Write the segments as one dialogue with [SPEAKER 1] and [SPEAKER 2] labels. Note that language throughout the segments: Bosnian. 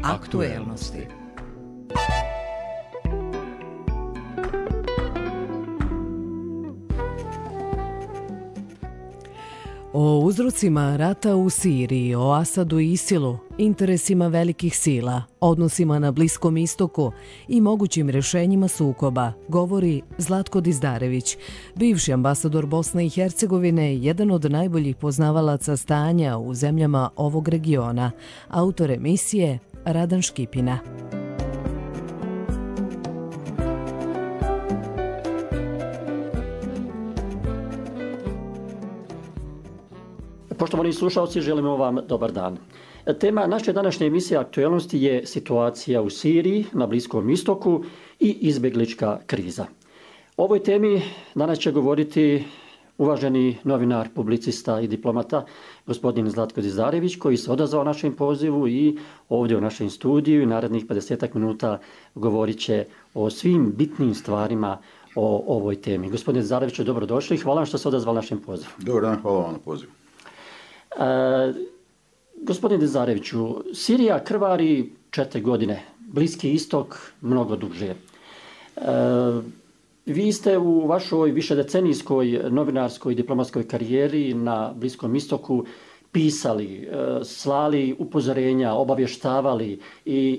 [SPEAKER 1] Aktuelnosti. O uzrocima rata u Siriji, o Asadu i Isilu, interesima velikih sila, odnosima na Bliskom istoku i mogućim rješenjima sukoba, govori Zlatko Dizdarević, bivši ambasador Bosne i Hercegovine, jedan od najboljih poznavalaca stanja u zemljama ovog regiona, autor emisije Radan Škipina.
[SPEAKER 2] Poštovani slušalci, želimo vam dobar dan. Tema naše današnje emisije Aktuelnosti je situacija u Siriji, na Bliskom istoku i izbjeglička kriza. O ovoj temi danas će govoriti uvaženi novinar, publicista i diplomata, gospodin Zlatko Dizdarević, koji se odazvao našem pozivu i ovdje u našem studiju i narednih 50 minuta govorit će o svim bitnim stvarima o ovoj temi. Gospodine Dizdareviću, dobrodošli i hvala vam što se odazvali našem pozivu.
[SPEAKER 3] Dobar dan, hvala vam na pozivu.
[SPEAKER 2] Gospodine Dizdareviću, Sirija krvari 4 godine, Bliski istok mnogo duže. Vi ste u vašoj višedecenijskoj novinarskoj i diplomatskoj karijeri na Bliskom istoku pisali, slali upozorenja, obavještavali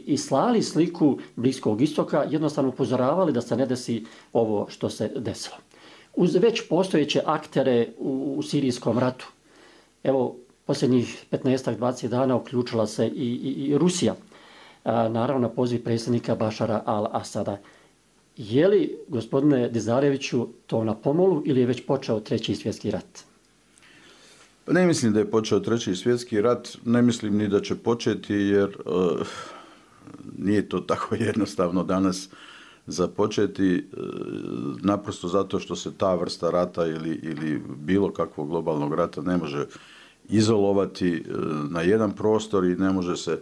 [SPEAKER 2] i slali sliku Bliskog istoka, jednostavno upozoravali da se ne desi ovo što se desilo. Uz već postojeće aktere u sirijskom ratu, evo, posljednjih 15-20 dana uključila se i Rusija, naravno na poziv predsjednika Bašara al-Asada. Je li, gospodine Dizdareviću, to na pomolu ili je već počeo Treći svjetski rat?
[SPEAKER 3] Ne mislim da je počeo Treći svjetski rat, ne mislim ni da će početi jer nije to tako jednostavno danas započeti, naprosto zato što se ta vrsta rata ili bilo kakvog globalnog rata ne može izolovati na jedan prostor i ne može se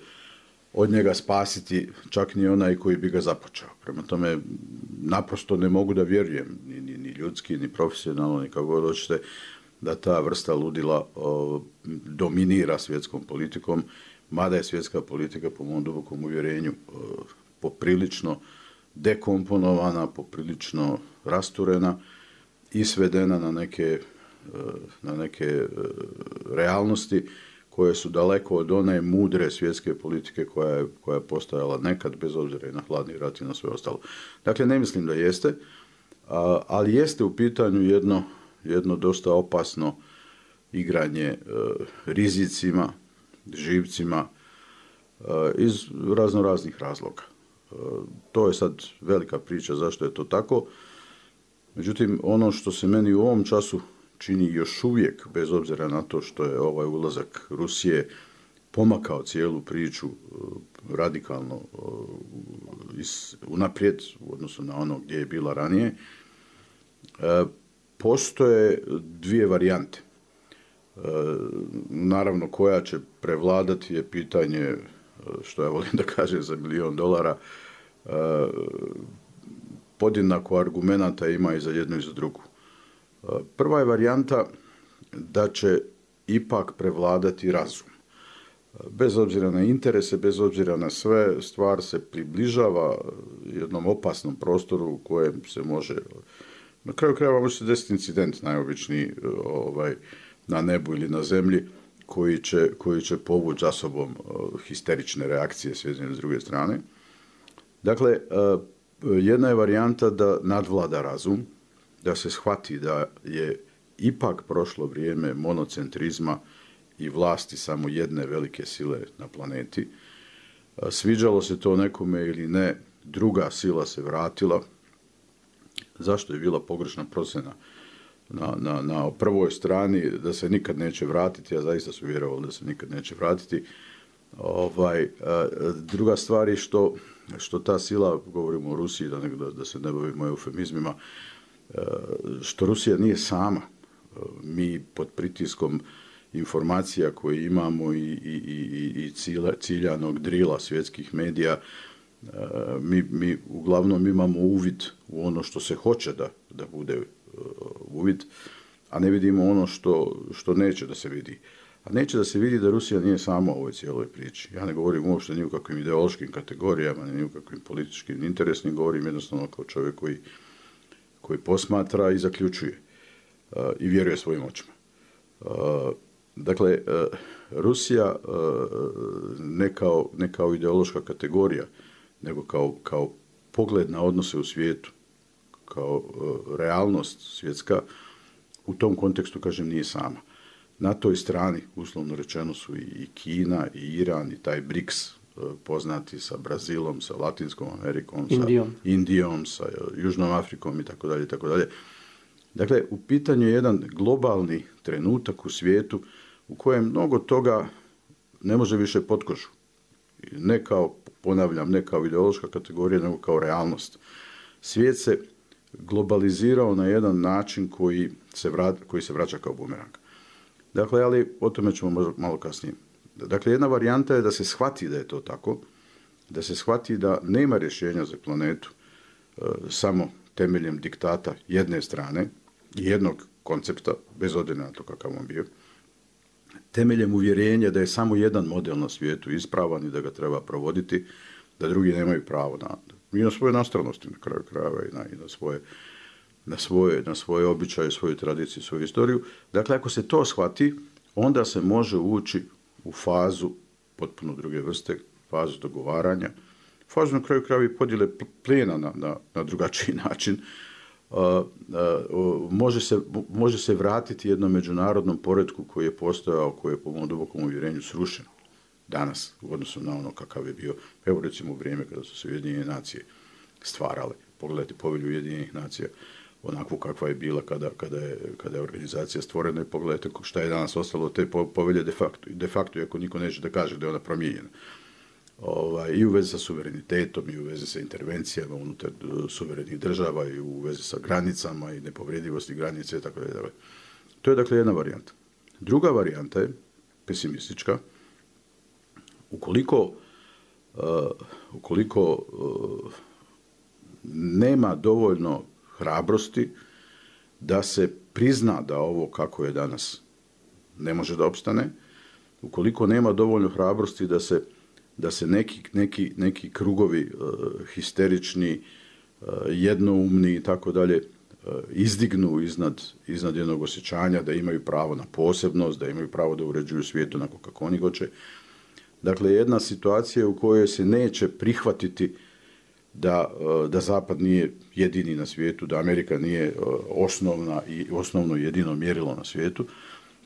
[SPEAKER 3] od njega spasiti čak ni onaj koji bi ga započeo. Prema tome, naprosto ne mogu da vjerujem, ni ljudski, ni profesionalno, ni kako god hoćete, da ta vrsta ludila dominira svjetskom politikom, mada je svjetska politika, po mom dubokom uvjerenju, poprilično dekomponovana, poprilično rasturena i svedena na neke realnosti koje su daleko od one mudre svjetske politike koja je postojala nekad, bez obzira i na hladni rat i na sve ostalo. Dakle, ne mislim da jeste, ali jeste u pitanju jedno dosta opasno igranje rizicima, živcima iz raznoraznih razloga. To je sad velika priča zašto je to tako. Međutim, ono što se meni u ovom času čini još uvijek, bez obzira na to što je ovaj ulazak Rusije pomakao cijelu priču radikalno unaprijed u odnosu na ono gdje je bila ranije, postoje dvije varijante. Naravno, koja će prevladati je pitanje, što ja volim da kažem, za $1.000.000, podjednako argumenata ima i za jednu i za drugu. Prva je varijanta da će ipak prevladati razum. Bez obzira na interese, bez obzira na sve, stvar se približava jednom opasnom prostoru u kojem se može, na kraju krajeva može se desiti incident najobičniji na nebu ili na zemlji koji će povući za sobom histerične reakcije s jedne i s druge strane. Dakle, jedna je varijanta da nadvlada razum, da se shvati da je ipak prošlo vrijeme monocentrizma i vlasti samo jedne velike sile na planeti. Sviđalo se to nekome ili ne, druga sila se vratila. Zašto je bila pogrešna procjena na prvoj strani da se nikad neće vratiti? Ja zaista su vjerovali da se nikad neće vratiti. Druga stvar je što ta sila, govorimo o Rusiji, da se ne bavimo eufemizmima, što Rusija nije sama. Mi pod pritiskom informacija koje imamo i ciljanog drila svjetskih medija, mi uglavnom imamo uvid u ono što se hoće da bude uvid, a ne vidimo ono što neće da se vidi. a neće da se vidi da Rusija nije sama u ovoj cijeloj priči. Ja ne govorim uopšte ni u kakvim ideološkim kategorijama, ni u kakvim političkim interesnim, govorim jednostavno kao čovjek koji posmatra i zaključuje i vjeruje svojim očima. Dakle, Rusija ne kao ideološka kategorija, nego kao pogled na odnose u svijetu, kao realnost svjetska, u tom kontekstu, kažem, nije sama. Na toj strani, uslovno rečeno, su i Kina, i Iran, i taj BRICS, poznati sa Brazilom, sa Latinskom Amerikom, sa Indijom, sa Južnom Afrikom i tako dalje, tako dalje. Dakle, u pitanju je jedan globalni trenutak u svijetu u kojem mnogo toga ne može više pod kožu. Ne kao, ponavljam, ne kao ideološka kategorija, nego kao realnost. Svijet se globalizirao na jedan način koji se vraća kao bumerang. Dakle, ali o tome ćemo malo kasnije. Dakle, jedna varijanta je da se shvati da je to tako, da se shvati da nema rješenja za planetu samo temeljem diktata jedne strane, jednog koncepta, bez obzira na to kakav on bio, temeljem uvjerenja da je samo jedan model na svijetu ispravan i da ga treba provoditi, da drugi nemaju pravo na svoje nastranosti, na kraju krajeva i na svoje običaje, svoju tradiciju, svoju istoriju. Dakle, ako se to shvati, onda se može ući u fazu potpuno druge vrste, fazu dogovaranja, fazu na kraju krajeva i podjele plijena na drugačiji način. Može se vratiti jednom međunarodnom poretku koji je postojao, koji je po mom dubokom uvjerenju srušen danas u odnosu na ono kakav je bio, evo recimo u vrijeme kada su se Ujedinjene nacije stvarale. Pogledajte Povelju Ujedinjenih nacija, onakvu kakva je bila kada je organizacija stvorena, i pogledajte šta je danas ostalo od te povelje de facto, iako niko neće da kaže da je ona promijenjena. I u vezi sa suverenitetom, i u vezi sa intervencijama unutar suverenih država, i u vezi sa granicama i nepovredivosti granice, tako da. To je dakle jedna varijanta. Druga varijanta je pesimistička. Ukoliko nema dovoljno hrabrosti da se prizna da ovo kako je danas ne može da opstane, ukoliko nema dovoljno hrabrosti da se neki krugovi histerični, jednoumni i tako dalje izdignu iznad jednog osjećanja da imaju pravo na posebnost, da imaju pravo da uređuju svijet onako kako oni hoće. Dakle, jedna situacija u kojoj se neće prihvatiti da Zapad nije jedini na svijetu, da Amerika nije osnovno jedino mjerilo na svijetu.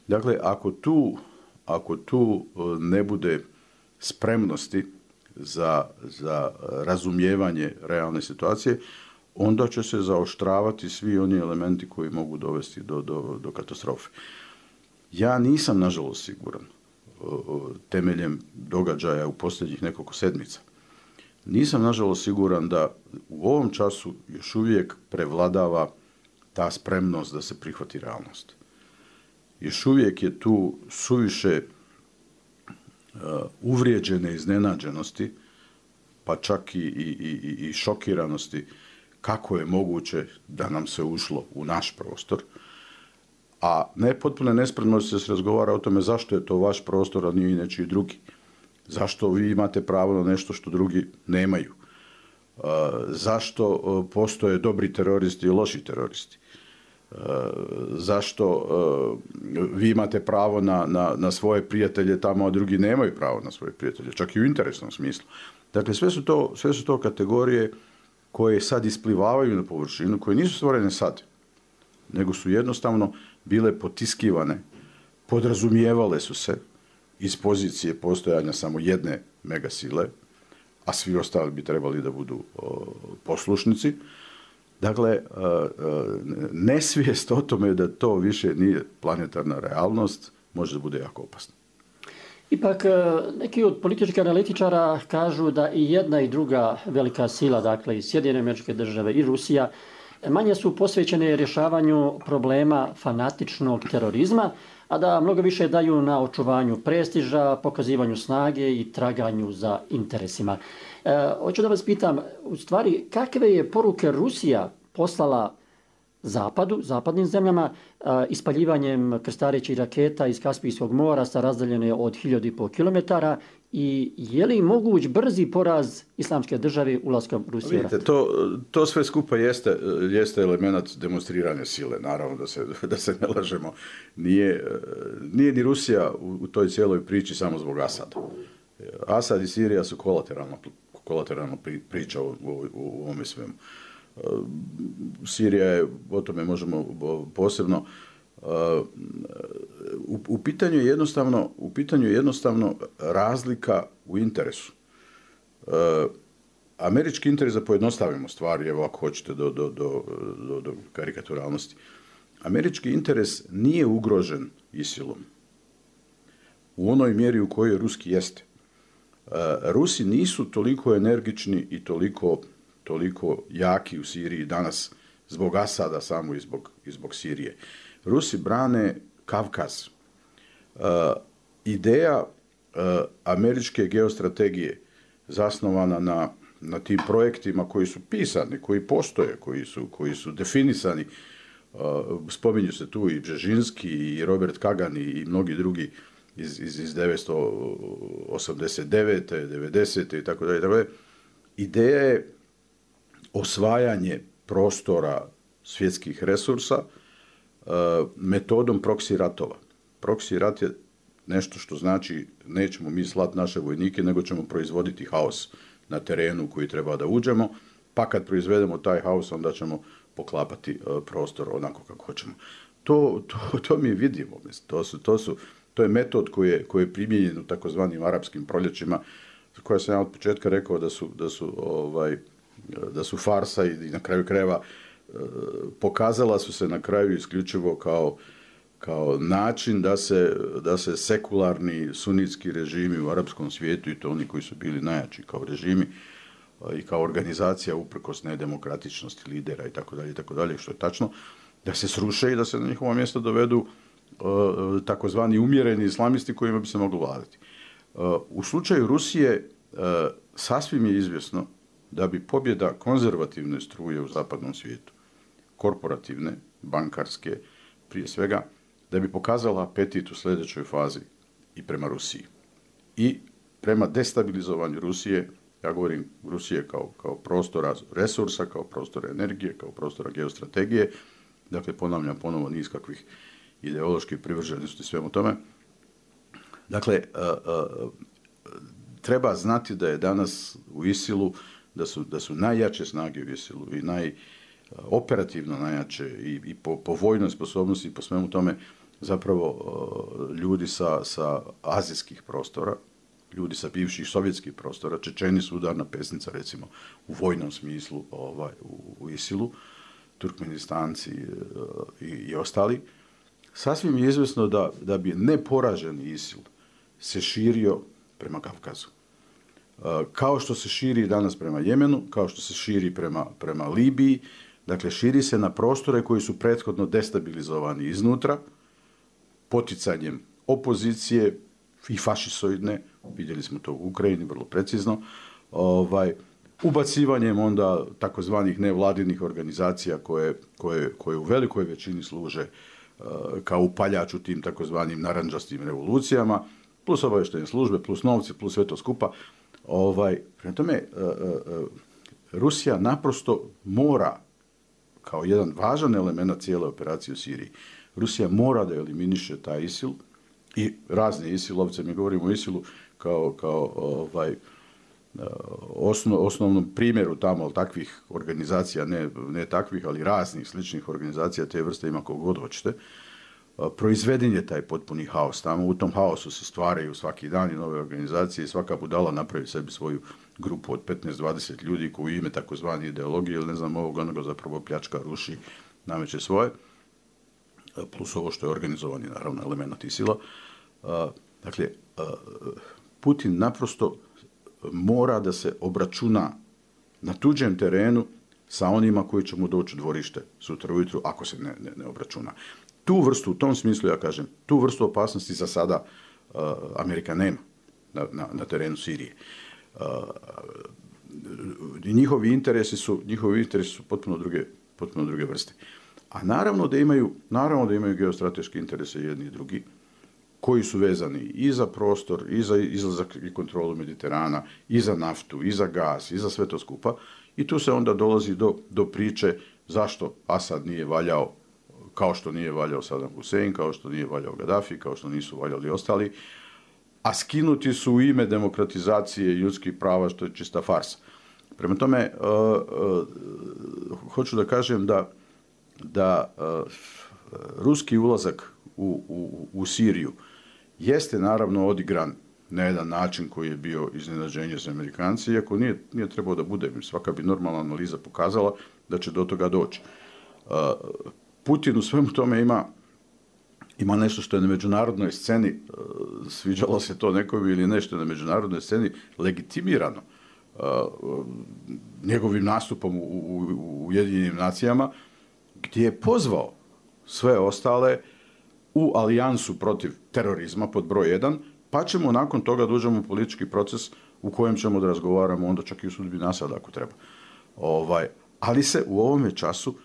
[SPEAKER 3] Dakle, ako tu ne bude spremnosti za razumijevanje realne situacije, onda će se zaoštravati svi oni elementi koji mogu dovesti do katastrofe. Ja nisam, nažalost, siguran, temeljem događaja u posljednjih nekoliko sedmica, nisam, nažalost, siguran da u ovom času još uvijek prevladava ta spremnost da se prihvati realnost. Još uvijek je tu suviše uvrijeđene iznenađenosti, pa čak i šokiranosti kako je moguće da nam se ušlo u naš prostor, a ne potpuno nespremnosti da se razgovara o tome zašto je to vaš prostor, a nije i nečiji drugi. Zašto vi imate pravo na nešto što drugi nemaju? Zašto postoje dobri teroristi i loši teroristi? Zašto vi imate pravo na svoje prijatelje tamo, a drugi nemaju pravo na svoje prijatelje, čak i u interesnom smislu. Dakle, sve su to kategorije koje sad isplivavaju na površinu, koje nisu stvorene sad, nego su jednostavno bile potiskivane, podrazumijevale su se iz pozicije postojanja samo jedne megasile, a svi ostali bi trebali da budu poslušnici. Dakle, nesvijest o tome da to više nije planetarna realnost može da bude jako opasno.
[SPEAKER 2] Ipak, neki od političkih analitičara kažu da i jedna i druga velika sila, dakle i Sjedinjene Američke Države i Rusija, manje su posvećene rješavanju problema fanatičnog terorizma, a da mnogo više daju na očuvanju prestiža, pokazivanju snage i traganju za interesima. Hoću da vas pitam, u stvari, kakve je poruke Rusija poslala zapadnim zemljama, ispaljivanjem krstarećih raketa iz Kaspijskog mora sa razdaljene od 1500 km i je li moguć brzi poraz Islamske države ulaskom Rusije?
[SPEAKER 3] Vidite, to sve skupa jeste element demonstriranja sile, naravno da se ne lažemo. Nije ni Rusija u toj cijeloj priči samo zbog Asada. Asad i Sirija su kolateralna priča u ovome svemu. Sirija je, o tome možemo posebno. U pitanju je jednostavno razlika u interesu. Američki interes, da pojednostavimo stvari, evo ako hoćete do karikaturalnosti, američki interes nije ugrožen ISIL-om u onoj mjeri u kojoj ruski jeste. Rusi nisu toliko energični i toliko jaki u Siriji danas zbog Asada samo i zbog Sirije. Rusi brane Kavkaz. Ideja američke geostrategije zasnovana na tim projektima koji su pisani, koji postoje, koji su definisani. Spominju se tu i Bžežinski, i Robert Kagan i mnogi drugi iz 1989. 90. i tako dalje. Ideja je osvajanje prostora svjetskih resursa metodom proksi ratova. Proksi rat je nešto što znači nećemo mi slati naše vojnike, nego ćemo proizvoditi haos na terenu koji treba da uđemo, pa kad proizvedemo taj haos, onda ćemo poklapati prostor onako kako hoćemo. To mi vidimo. To je metod koji je primijenjen u takozvanim arapskim proljećima, za koje sam ja od početka rekao da su farsa i na kraju krajeva pokazala su se na kraju isključivo kao način da se sekularni sunitski režimi u arapskom svijetu, i to oni koji su bili najjači kao režimi i kao organizacija uprkos nedemokratičnosti lidera i tako dalje, što je tačno, da se sruše i da se na njihovo mjesto dovedu takozvani umjereni islamisti kojima bi se moglo vladati. U slučaju Rusije sasvim je izvjesno da bi pobjeda konzervativne struje u zapadnom svijetu, korporativne, bankarske, prije svega, da bi pokazala apetit u sljedećoj fazi i prema Rusiji. I prema destabilizovanju Rusije, ja govorim Rusije kao prostora resursa, kao prostora energije, kao prostora geostrategije, dakle ponavljam ponovo niz kakvih ideoloških privrženosti svemu tome. Dakle, treba znati da je danas u ISIL-u, da su najjače snage u ISIL-u i operativno najjače i po vojnoj sposobnosti i po svemu tome zapravo ljudi sa azijskih prostora, ljudi sa bivših sovjetskih prostora. Čečeni su udarna pesnica, recimo, u vojnom smislu u ISIL-u, Turkmenistanci i ostali. Sasvim je izvjesno da bi neporaženi ISIL se širio prema Kavkazu. Kao što se širi danas prema Jemenu, kao što se širi prema Libiji, dakle širi se na prostore koji su prethodno destabilizovani iznutra, poticanjem opozicije i fašisoidne, vidjeli smo to u Ukrajini vrlo precizno, ubacivanjem onda takozvanih nevladinih organizacija koje u velikoj većini služe kao upaljač u tim takozvanim narandžastim revolucijama, plus obavještajne službe, plus novci, plus sve to skupa. Prema tome, Rusija naprosto mora, kao jedan važan element cijele operacije u Siriji, Rusija mora da eliminiše taj ISIL i razne ISIL-ovce. Mi govorimo o ISIL-u kao osnovnom primjeru tamo takvih organizacija, ne takvih, ali raznih sličnih organizacija te vrste ima koliko god hoćete. Proizveden je taj potpuni haos. Tamo u tom haosu se stvaraju svaki dan i nove organizacije i svaka budala napravi sebi svoju grupu od 15-20 ljudi koji u ime takozvani ideologije ili ne znam ovog onoga zapravo pljačka, ruši, nameće svoje. Plus ovo što je organizovani naravno element ISIL-a. Dakle, Putin naprosto mora da se obračuna na tuđem terenu sa onima koji će mu doći u dvorište sutra ujutru ako se ne obračuna. Tu vrstu, u tom smislu ja kažem, tu vrstu opasnosti za sada Amerika nema na terenu Sirije. Njihovi interesi su potpuno druge vrste. A naravno da imaju geostrateške interese jedni i drugi, koji su vezani i za prostor, i za izlazak i kontrolu Mediterana, i za naftu, i za gas, i za sve to skupa. I tu se onda dolazi do priče zašto Asad nije valjao, kao što nije valjao Saddam Hussein, kao što nije valjao Gaddafi, kao što nisu valjali ostali, a skinuti su u ime demokratizacije ljudskih prava, što je čista farsa. Prema tome, hoću da kažem da ruski ulazak u Siriju jeste naravno odigran na jedan način koji je bio iznenađenje za Amerikanci, iako nije trebao da bude. Svaka bi normalna analiza pokazala da će do toga doći. Putin u svemu tome ima nešto što je na međunarodnoj sceni, sviđalo se to nekom ili nešto na međunarodnoj sceni, legitimirano njegovim nastupom u Ujedinjenim nacijama, gdje je pozvao sve ostale u alijansu protiv terorizma pod broj 1, pa ćemo nakon toga da uđemo u politički proces u kojem ćemo da razgovaramo onda čak i u sudbini Asada ako treba. Ali se u ovome času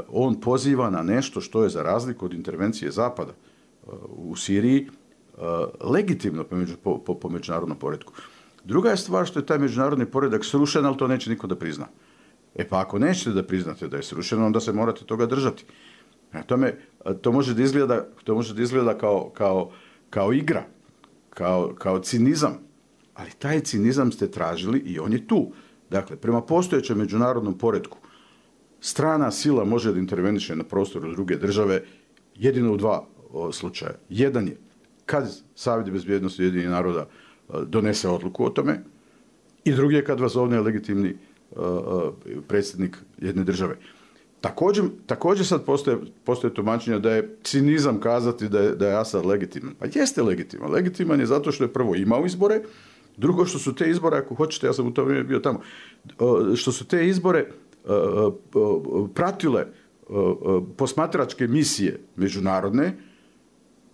[SPEAKER 3] on poziva na nešto što je za razliku od intervencije Zapada u Siriji legitimno po međunarodnom poretku. Druga je stvar što je taj međunarodni poredak srušen, ali to neće niko da prizna. Pa ako nećete da priznate da je srušeno, onda se morate toga držati. To može da izgleda kao igra, kao cinizam, ali taj cinizam ste tražili i on je tu. Dakle, prema postojećem međunarodnom poretku, strana sila može da interveniše na prostoru druge države jedino u dva slučaja. Jedan je kad Savjet bezbjednosti Ujedinjenih naroda donese odluku o tome i drugi je kad vas zovne legitimni predsjednik jedne države. Također sad postoje tumačenja da je cinizam kazati da je Asad legitiman. Pa jeste legitiman. Legitiman je zato što je prvo imao izbore, drugo što su te izbore, ako hoćete, ja sam u to vrijeme bio tamo, što su te izbore pratile posmatračke misije međunarodne,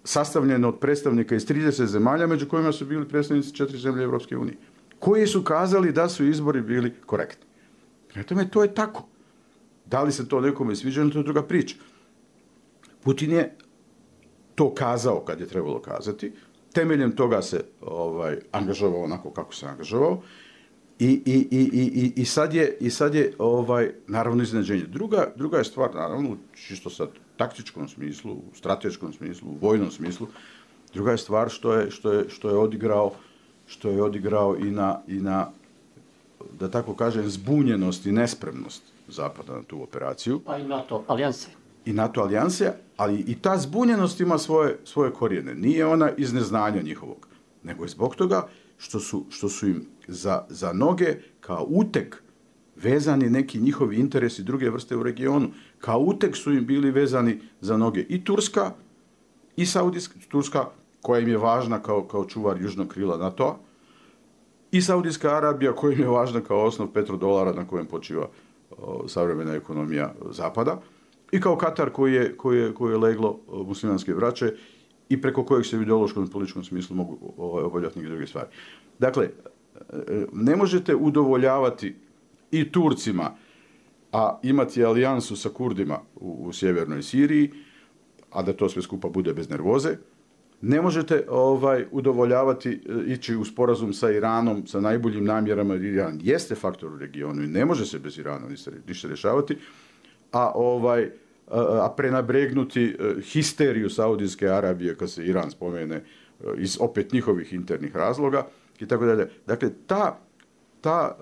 [SPEAKER 3] sastavljene od predstavnika iz 30 zemalja, među kojima su bili predstavnici 4 zemlje Evropske unije, koji su kazali da su izbori bili korektni. Prema tome, to je tako. Da li se to nekome sviđa, to je druga priča. Putin je to kazao kad je trebalo kazati, temeljem toga se angažovao onako kako se angažovao i sad je naravno iznenađenje. Druga je stvar, naravno, čisto sad taktičkom smislu, u strateškom smislu, u vojnom smislu, druga je stvar što je odigrao i na da tako kažem, zbunjenost i nespremnost Zapada na tu operaciju.
[SPEAKER 2] Pa i NATO alijanse.
[SPEAKER 3] I NATO alijanse, ali i ta zbunjenost ima svoje korijene. Nije ona iz neznanja njihovog, nego je zbog toga što su im za noge kao uteg vezani neki njihovi interesi druge vrste u regionu. Kao uteg su im bili vezani za noge i Turska, i Saudijska, Turska koja im je važna kao čuvar južnog krila NATO-a, i Saudijska Arabija koja im je važna kao osnov petrodolara na kojem počiva savremena ekonomija Zapada, i kao Katar koji je leglo muslimanske braće i preko kojeg se u ideološkom i političkom smislu mogu obavljati neke druge stvari. Dakle, ne možete udovoljavati i Turcima, a imati alijansu sa Kurdima u sjevernoj Siriji, a da to sve skupa bude bez nervoze. Ne možete udovoljavati, ići u sporazum sa Iranom, sa najboljim namjerama, jer Iran jeste faktor u regionu i ne može se bez Irana ništa rješavati, a prenabregnuti histeriju Saudijske Arabije kad se Iran spomene iz opet njihovih internih razloga i tako dalje. Dakle, ta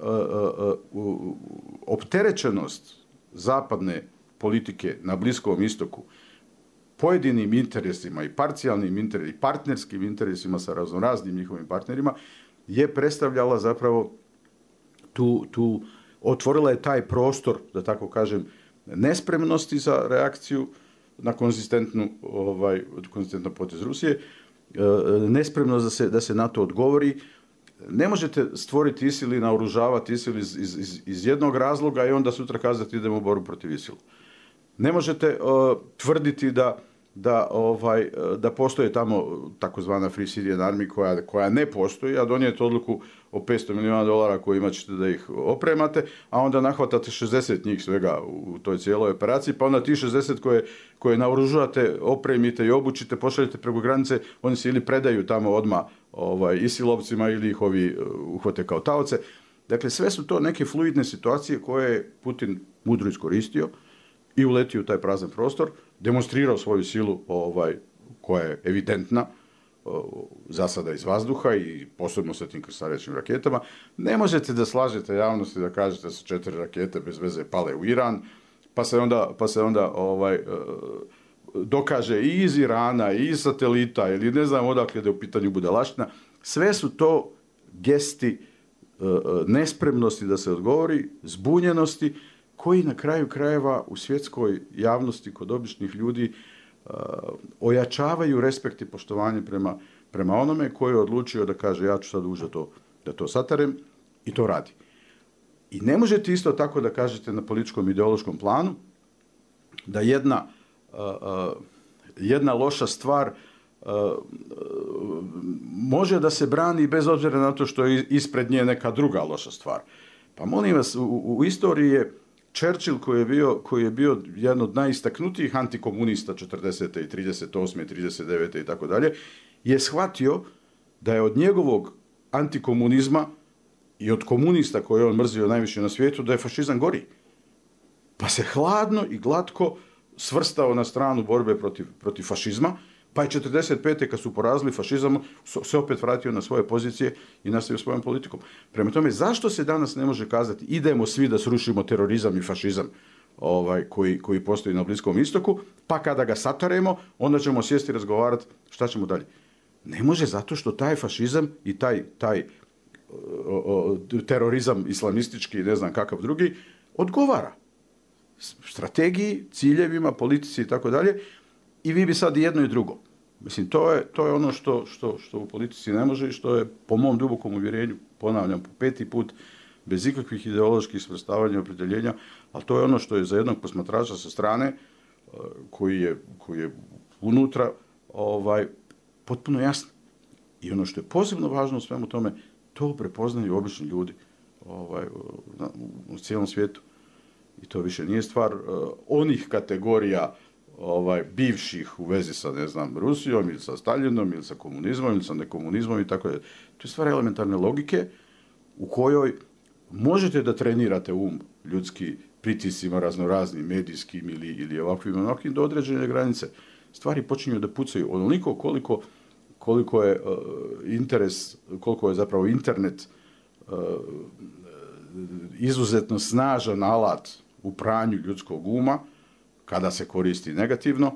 [SPEAKER 3] opterećenost zapadne politike na Bliskom istoku pojedinim interesima i parcijalnim interesima i partnerskim interesima sa raznoraznim njihovim partnerima je predstavljala zapravo otvorila je taj prostor, da tako kažem, nespremnosti za reakciju na konzistentan potez Rusije, nespremnost da se na to odgovori. Ne možete stvoriti ISIL i naoružavati ISIL iz jednog razloga i onda sutra kazati idemo u borbu protiv ISIL. Ne možete tvrditi da postoje tamo takozvana Free Syrian Army koja ne postoji, a donijeti odluku o $500 milijuna kojima ćete da ih opremate, a onda nahvatate 60 njih svega u toj cijeloj operaciji, pa onda ti 60 koje naoružujete, opremite i obučite, pošaljete preko granice, oni se ili predaju tamo odmah isilovcima ili ih ovi uhvate kao taoce. Dakle, sve su to neke fluidne situacije koje je Putin mudro iskoristio i uletio u taj prazan prostor, demonstrirao svoju silu koja je evidentna, zasada iz vazduha i posebno sa tim krstarećim raketama. Ne možete da slažete javnosti da kažete da su 4 rakete bez veze pale u Iran, pa se onda dokaže i iz Irana, i iz satelita, ili ne znam odakle da je u pitanju budalaština. Sve su to gesti nespremnosti da se odgovori, zbunjenosti, koji na kraju krajeva u svjetskoj javnosti kod običnih ljudi ojačavaju respekt i poštovanje prema onome koji je odlučio da kaže ja ću sad ući da to satarem i to radi. I ne možete isto tako da kažete na političkom ideološkom planu da jedna loša stvar može da se brani bez obzira na to što je ispred nje neka druga loša stvar. Pa molim vas, u istoriji je Churchill koji je bio jedan od najistaknutijih antikomunista 40. i 38. i 39. i tako dalje, je shvatio da je od njegovog antikomunizma i od komunista koje je on mrzio najviše na svijetu, da je fašizam gori. Pa se hladno i glatko svrstao na stranu borbe protiv fašizma, pa je 45. kad su porazili fašizam, se opet vratio na svoje pozicije i nastavio svojom politikom. Prema tome, zašto se danas ne može kazati idemo svi da srušimo terorizam i fašizam koji postoji na Bliskom istoku, pa kada ga sataremo, onda ćemo sjesti i razgovarati šta ćemo dalje. Ne može zato što taj fašizam i taj terorizam islamistički i ne znam kakav drugi odgovara strategiji, ciljevima, politici i tako dalje. I vi bi sad jedno i drugo. Mislim, to je ono što u politici ne može i što je po mom dubokom uvjerenju, ponavljam po 5. put, bez ikakvih ideoloških svrstavanja i opredjeljenja, ali to je ono što je za jednog posmatrača sa strane, koji je unutra, potpuno jasno. I ono što je posebno važno u svemu tome, to prepoznaju obični ljudi u cijelom svijetu. I to više nije stvar onih kategorija bivših u vezi sa, ne znam, Rusijom ili sa Staljinom ili sa komunizmom ili sa nekomunizmom i tako da. To je stvar elementarne logike u kojoj možete da trenirate ljudski pritiscima raznoraznim, medijskim ili ovakvim do određene granice. Stvari počinju da pucaju onoliko koliko je interes, koliko je zapravo internet izuzetno snažan alat u pranju ljudskog uma, kada se koristi negativno,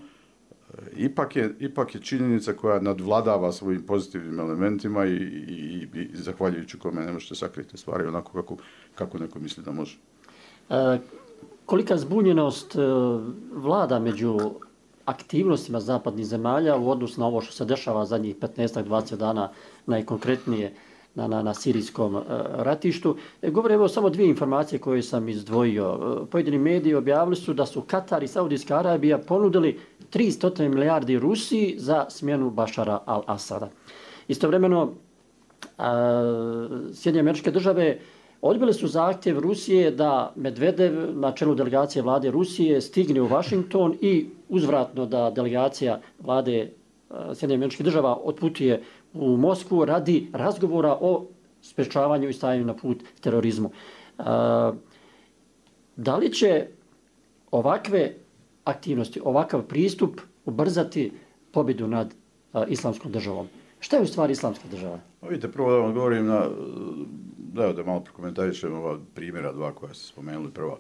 [SPEAKER 3] ipak je činjenica koja nadvladava svojim pozitivnim elementima i zahvaljujući kome ne možete sakriti stvari onako kako neko misli da može.
[SPEAKER 2] Kolika zbunjenost vlada među aktivnostima zapadnih zemalja u odnosu na ovo što se dešava zadnjih 15-20 dana najkonkretnije na sirijskom ratištu. Govore evo samo 2 informacije koje sam izdvojio. Pojedini mediji objavili su da su Katar i Saudijska Arabija ponudili 300 milijardi Rusiji za smjenu Bašara al-Asada. Istovremeno, Sjedinjene Američke Države odbile su zahtjev Rusije da Medvedev na čelu delegacije vlade Rusije stigne u Washington i uzvratno da delegacija vlade Sjedinjenih Američkih Država otputuje u Moskvu radi razgovora o sprečavanju i stajanju na put terorizmu. Da li će ovakve aktivnosti, ovakav pristup ubrzati pobjedu nad islamskom državom? Šta je u stvari islamska država?
[SPEAKER 3] Vidite, prvo da vam odgovorim da malo prokomentarišem ova primjera 2 koja ste spomenuli prvo.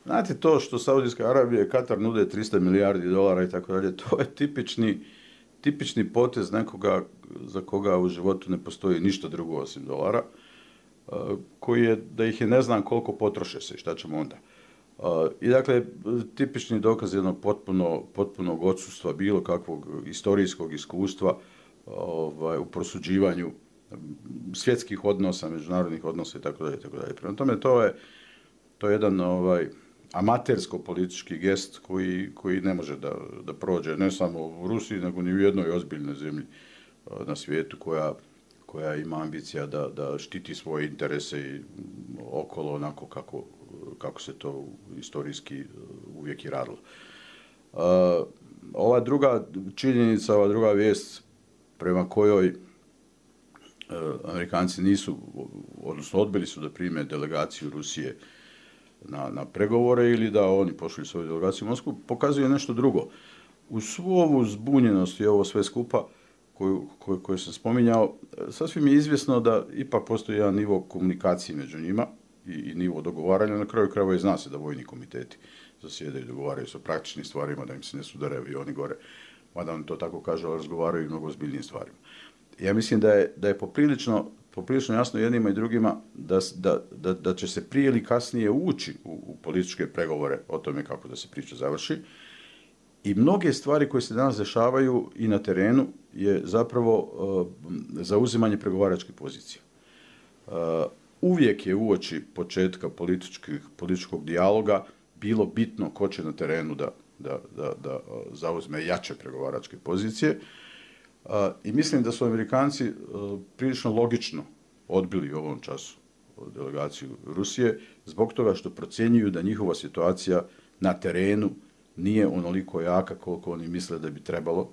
[SPEAKER 3] Znate, to što Saudijska Arabija i Katar nude 300 milijardi dolara i tako dalje, to je tipični potez nekoga za koga u životu ne postoji ništa drugo osim dolara, koji je da ih je ne znam koliko potroše se i šta ćemo onda. I dakle, tipični dokaz jednog potpunog odsustva bilo kakvog istorijskog iskustva u prosuđivanju svjetskih odnosa, međunarodnih odnosa i tako dalje. Prema tome, to je jedan amatersko-politički gest koji ne može da prođe ne samo u Rusiji, nego ni u jednoj ozbiljnoj zemlji na svijetu koja ima ambicija da štiti svoje interese i okolo onako kako se to istorijski uvijek i radilo. Ova druga činjenica, ova druga vijest prema kojoj Amerikanci nisu, odnosno odbili su da prime delegaciju Rusije na pregovore ili da oni pošli svoju delegaciju u Moskvu, pokazuje nešto drugo. Uz svu ovu zbunjenost i ovo sve skupa koju sam spominjao, sasvim je izvjesno da ipak postoji jedan nivo komunikacije među njima i nivo dogovaranja. Na kraju krajeva i zna se da vojni komiteti zasjedaju i dogovaraju sa praktičnim stvarima, da im se ne sudare avioni gore, mada oni to tako kažu, ali razgovaraju i mnogo ozbiljnijim stvarima. Ja mislim da je poprilično jasno jednima i drugima da će se prije ili kasnije ući u političke pregovore o tome kako da se priča završi. I mnoge stvari koje se danas dešavaju i na terenu je zapravo zauzimanje pregovaračke pozicije. Uvijek je uoči početka političkog dijaloga bilo bitno ko će na terenu da zauzme jače pregovaračke pozicije. I mislim da su Amerikanci prilično logično odbili u ovom času delegaciju Rusije zbog toga što procjenjuju da njihova situacija na terenu nije onoliko jaka koliko oni misle da bi trebalo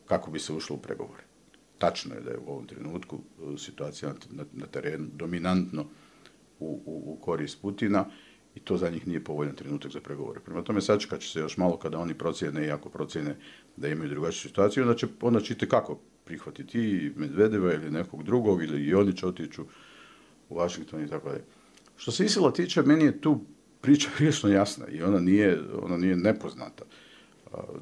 [SPEAKER 3] kako bi se ušlo u pregovore. Tačno je da je u ovom trenutku situacija na terenu dominantno u korist Putina i to za njih nije povoljan trenutak za pregovore. Prema tome sačekat će se još malo kada oni procjene i ako procjene da imaju drugačiju situaciju, onda će kako prihvatiti i Medvedeva ili nekog drugog ili i oni će otići u Washington i tako dalje. Što se ISIL-a tiče, meni je tu priča prilično jasna i ona nije nepoznata.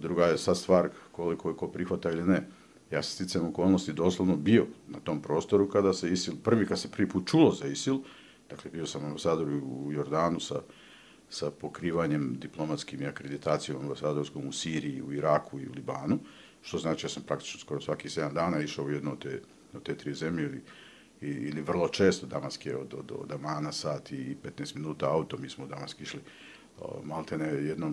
[SPEAKER 3] Druga je sad stvar koliko je ko prihvata ili ne. Ja sam sticajem okolnosti doslovno bio na tom prostoru kada se ISIL, kad se prvi put čulo za ISIL, dakle bio sam ambasador u Jordanu sa pokrivanjem diplomatskim i akreditacijom ambasadorskom u Siriji, u Iraku i u Libanu, što znači ja sam praktično skoro svaki 7 dana išao u jednu od te 3 zemlje ili vrlo često. Damask je od Amana sat i 15 minuta auto, mi smo u Damask išli maltene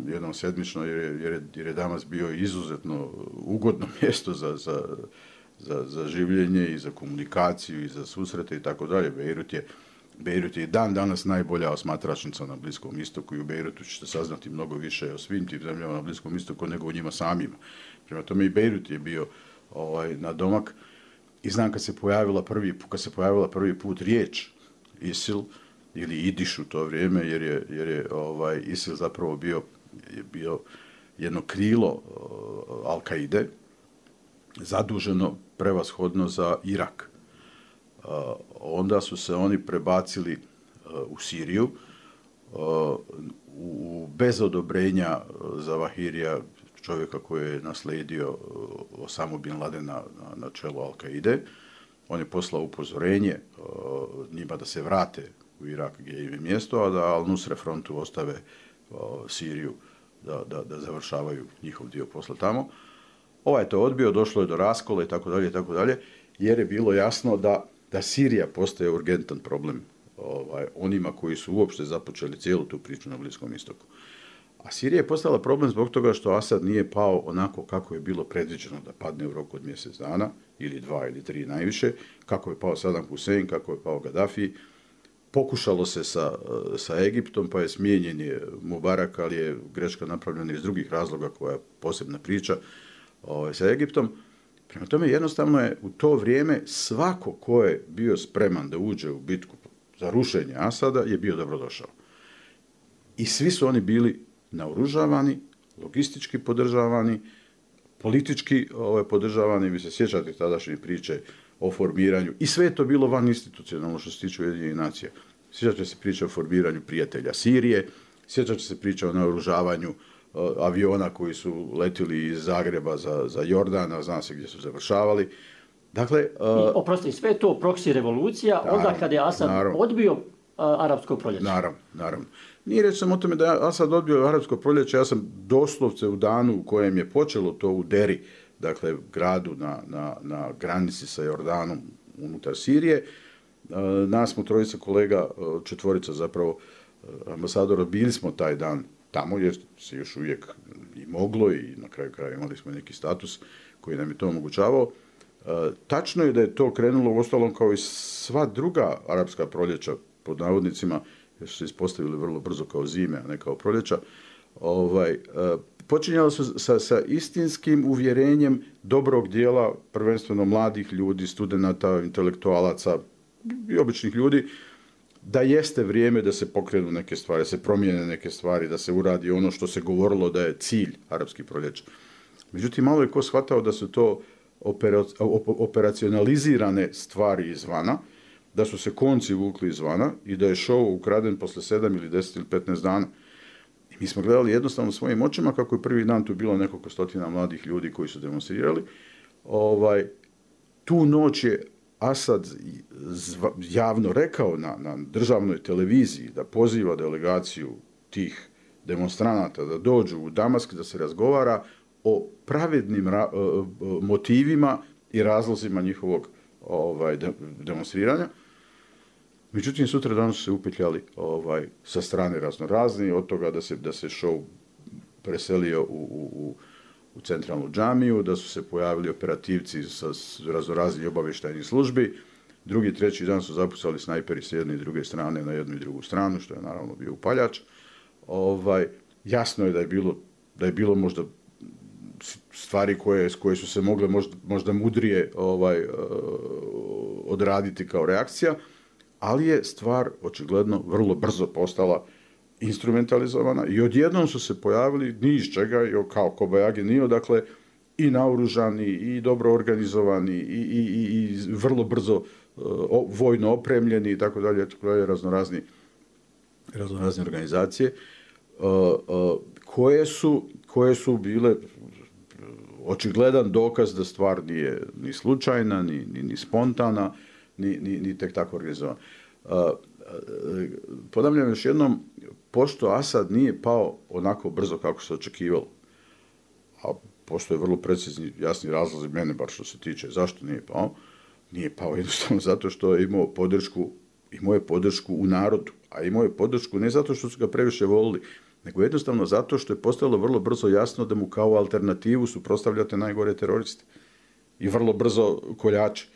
[SPEAKER 3] jednom sedmično jer je Damask bio izuzetno ugodno mjesto za življenje i za komunikaciju i za susrete i tako dalje. Bejrut je dan danas najbolja osmatračnica na Bliskom istoku i u Bejrutu ćete saznati mnogo više o svim tim zemljama na Bliskom istoku nego o njima samima. Prema tome i Bejrut je bio na domak i znam kad se pojavila prvi put riječ ISIL ili Idiš u to vrijeme jer je ISIL zapravo bio jedno krilo Al-Kaide zaduženo prevashodno za Irak. Onda su se oni prebacili u Siriju bez odobrenja Zavahirija, čovjeka koji je naslijedio Osamu bin Ladena na čelu Al-Kaide. On je poslao upozorenje njima da se vrate u Irak gdje im je mjesto, a da Al-Nusra frontu ostave Siriju da završavaju njihov dio posla tamo. Ovaj je to odbio, došlo je do raskola i tako dalje, jer je bilo jasno da Sirija postaje urgentan problem onima koji su uopšte započeli cijelu tu priču na Bliskom istoku. A Sirija je postala problem zbog toga što Asad nije pao onako kako je bilo predviđeno da padne u roku od mjesec dana, ili 2 ili 3 najviše, kako je pao Saddam Hussein, kako je pao Gaddafi. Pokušalo se sa Egiptom, pa je smijenjen je Mubarak, ali je greška napravljena iz drugih razloga koja je posebna priča sa Egiptom. Prema tome jednostavno je u to vrijeme svako ko je bio spreman da uđe u bitku za rušenje Asada je bio dobrodošao. I svi su oni bili naoružavani, logistički podržavani, politički podržavani. Vi se sjećate tadašnje priče o formiranju i sve je to bilo van institucionalno što se tiče Ujedinjenih nacija. Sjećate se priče o formiranju prijatelja Sirije, sjećate se priče o naoružavanju aviona koji su letili iz Zagreba za Jordan, zna se gdje su završavali. Dakle,
[SPEAKER 2] oprosti, sve to proksi revolucija, onda kada je Asad odbio arapsko proljeće.
[SPEAKER 3] Naravno. Nije reći sam o tome da je Asad odbio arapsko proljeće, ja sam doslovce u danu u kojem je počelo to u Deri, dakle gradu na granici sa Jordanom unutar Sirije. Nas smo trojica kolega, 4 zapravo, ambasadora, bili smo taj dan tamo jer se još uvijek i moglo i na kraju kraja imali smo neki status koji nam je to omogućavao. Tačno je da je to krenulo uostalom kao i sva druga arapska proljeća, pod navodnicima, jer su se ispostavili vrlo brzo kao zime, a ne kao proljeća. Počinjalo su sa istinskim uvjerenjem dobrog dijela, prvenstveno mladih ljudi, studenata, intelektualaca i običnih ljudi, da jeste vrijeme da se pokrenu neke stvari, da se promijene neke stvari, da se uradi ono što se govorilo da je cilj arapskih proljeća. Međutim, malo je ko shvatao da su to operacionalizirane stvari izvana, da su se konci vukli izvana i da je show ukraden posle 7 ili 10 ili 15 dana. I mi smo gledali jednostavno svojim očima kako je prvi dan tu bilo nekoliko stotina mladih ljudi koji su demonstrirali. Tu noć je Asad javno rekao na državnoj televiziji da poziva delegaciju tih demonstranata da dođu u Damask da se razgovara o pravednim motivima i razlozima njihovog demonstriranja. Međutim, sutra dan su se upetljali sa strane raznorazni, od toga da se show preselio u centralnu džamiju, da su se pojavili operativci sa raznoraznih obavještajnih službi. Drugi, treći dan su zapucali snajperi s jedne i druge strane na jednu i drugu stranu, što je naravno bio upaljač. Jasno je da je bilo možda stvari koje su se mogle možda mudrije odraditi kao reakcija, ali je stvar očigledno vrlo brzo postala instrumentalizovana i odjednom su se pojavili ni iz čega, kao kobajagi nije, dakle, i naoružani, i dobro organizovani, i vrlo brzo vojno opremljeni i tako dalje, raznorazne organizacije koje su bile očigledan dokaz da stvar nije ni slučajna, ni spontana, ni tek tako organizovana. Ponavljam još jednom, pošto Asad nije pao onako brzo kako se očekivalo, a postoje vrlo precizni, jasni razlozi mene, bar što se tiče zašto nije pao jednostavno zato što je imao podršku u narodu, a imao je podršku ne zato što su ga previše volili, nego jednostavno zato što je postalo vrlo brzo jasno da mu kao alternativu suprotstavljate najgore teroriste i vrlo brzo koljače.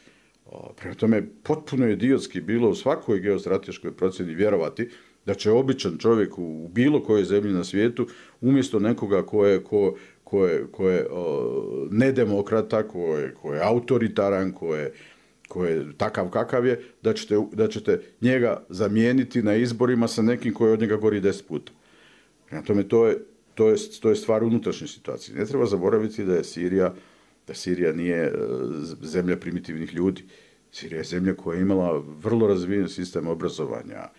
[SPEAKER 3] Prema tome, potpuno je idiotski bilo u svakoj geostrateškoj procjeni vjerovati da će običan čovjek u bilo kojoj zemlji na svijetu, umjesto nekoga ko je nedemokrata, ko je autoritaran, ko je takav kakav je, da ćete njega zamijeniti na izborima sa nekim koji od njega gori 10 puta. Prema tome, to je stvar unutrašnje situacije. Ne treba zaboraviti da Sirija nije zemlja primitivnih ljudi. Sirija je zemlja koja je imala vrlo razvijen sistem obrazovanja,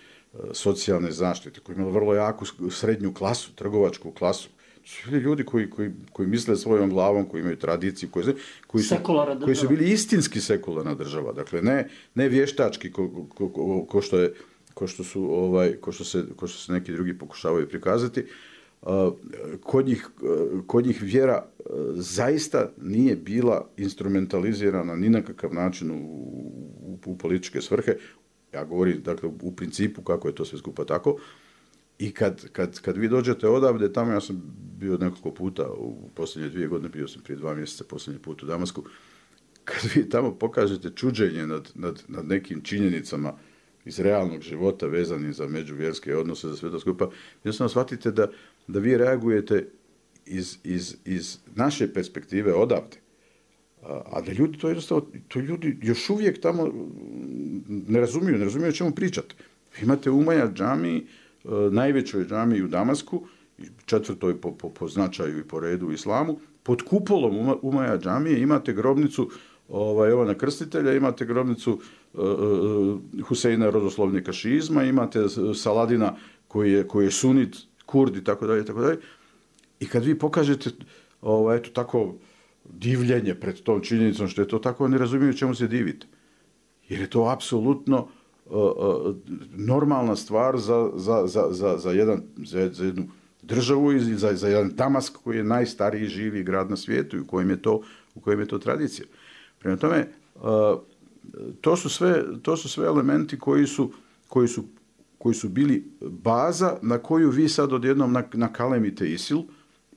[SPEAKER 3] socijalne zaštite, koja je imala vrlo jaku srednju klasu, trgovačku klasu. To su bili ljudi koji misle svojom glavom, koji imaju tradiciju, koji su bili istinski sekularna država. Dakle, ne vještački ko što se neki drugi pokušavaju prikazati. Kod njih vjera zaista nije bila instrumentalizirana ni na kakav način u političke svrhe. Ja govorim, dakle, u principu kako je to sve skupa tako. I kad vi dođete odavde, tamo ja sam bio nekoliko puta u posljednje 2 godine, bio sam prije 2 mjeseca posljednji put u Damasku, kad vi tamo pokažete čuđenje nad nekim činjenicama iz realnog života vezanih za međuvjerske odnose, za sve to skupa, jednostavno shvatite da vi reagujete iz naše perspektive odavde. A da ljudi to ljudi još uvijek tamo ne razumiju o čemu pričate. Vi imate Umaja džamiji, najvećoj džamiji u Damasku, 4. po značaju i po redu u islamu, pod kupolom Umaja džamije imate grobnicu Jovana Krstitelja, imate grobnicu Huseina rodoslovnika šiizma, imate Saladina koji je sunit, kurd i tako dalje. I kad vi pokažete eto tako divljenje pred tom činjenicom što je to tako, ne razumiju čemu se divite. Jer je to apsolutno normalna stvar za jednu državu i za jedan Damask koji je najstariji živi grad na svijetu i u kojem je to tradicija. Prema tome, to su sve elementi koji su bili baza na koju vi sad odjednom nakalemite ISIL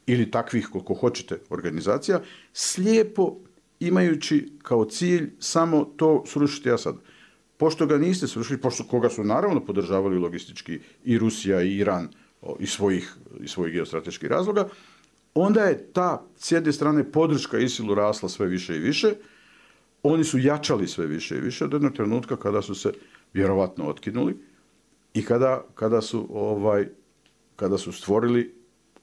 [SPEAKER 3] ili takvih, koliko hoćete, organizacija, slijepo imajući kao cilj samo to srušiti Asad. Pošto ga niste srušili, pošto koga su naravno podržavali logistički i Rusija i Iran iz svojih geostrateških razloga, onda je ta, s jedne strane, podrška ISIL-u rasla sve više i više, oni su jačali sve više i više od jednog trenutka kada su se vjerovatno otkinuli i kada su stvorili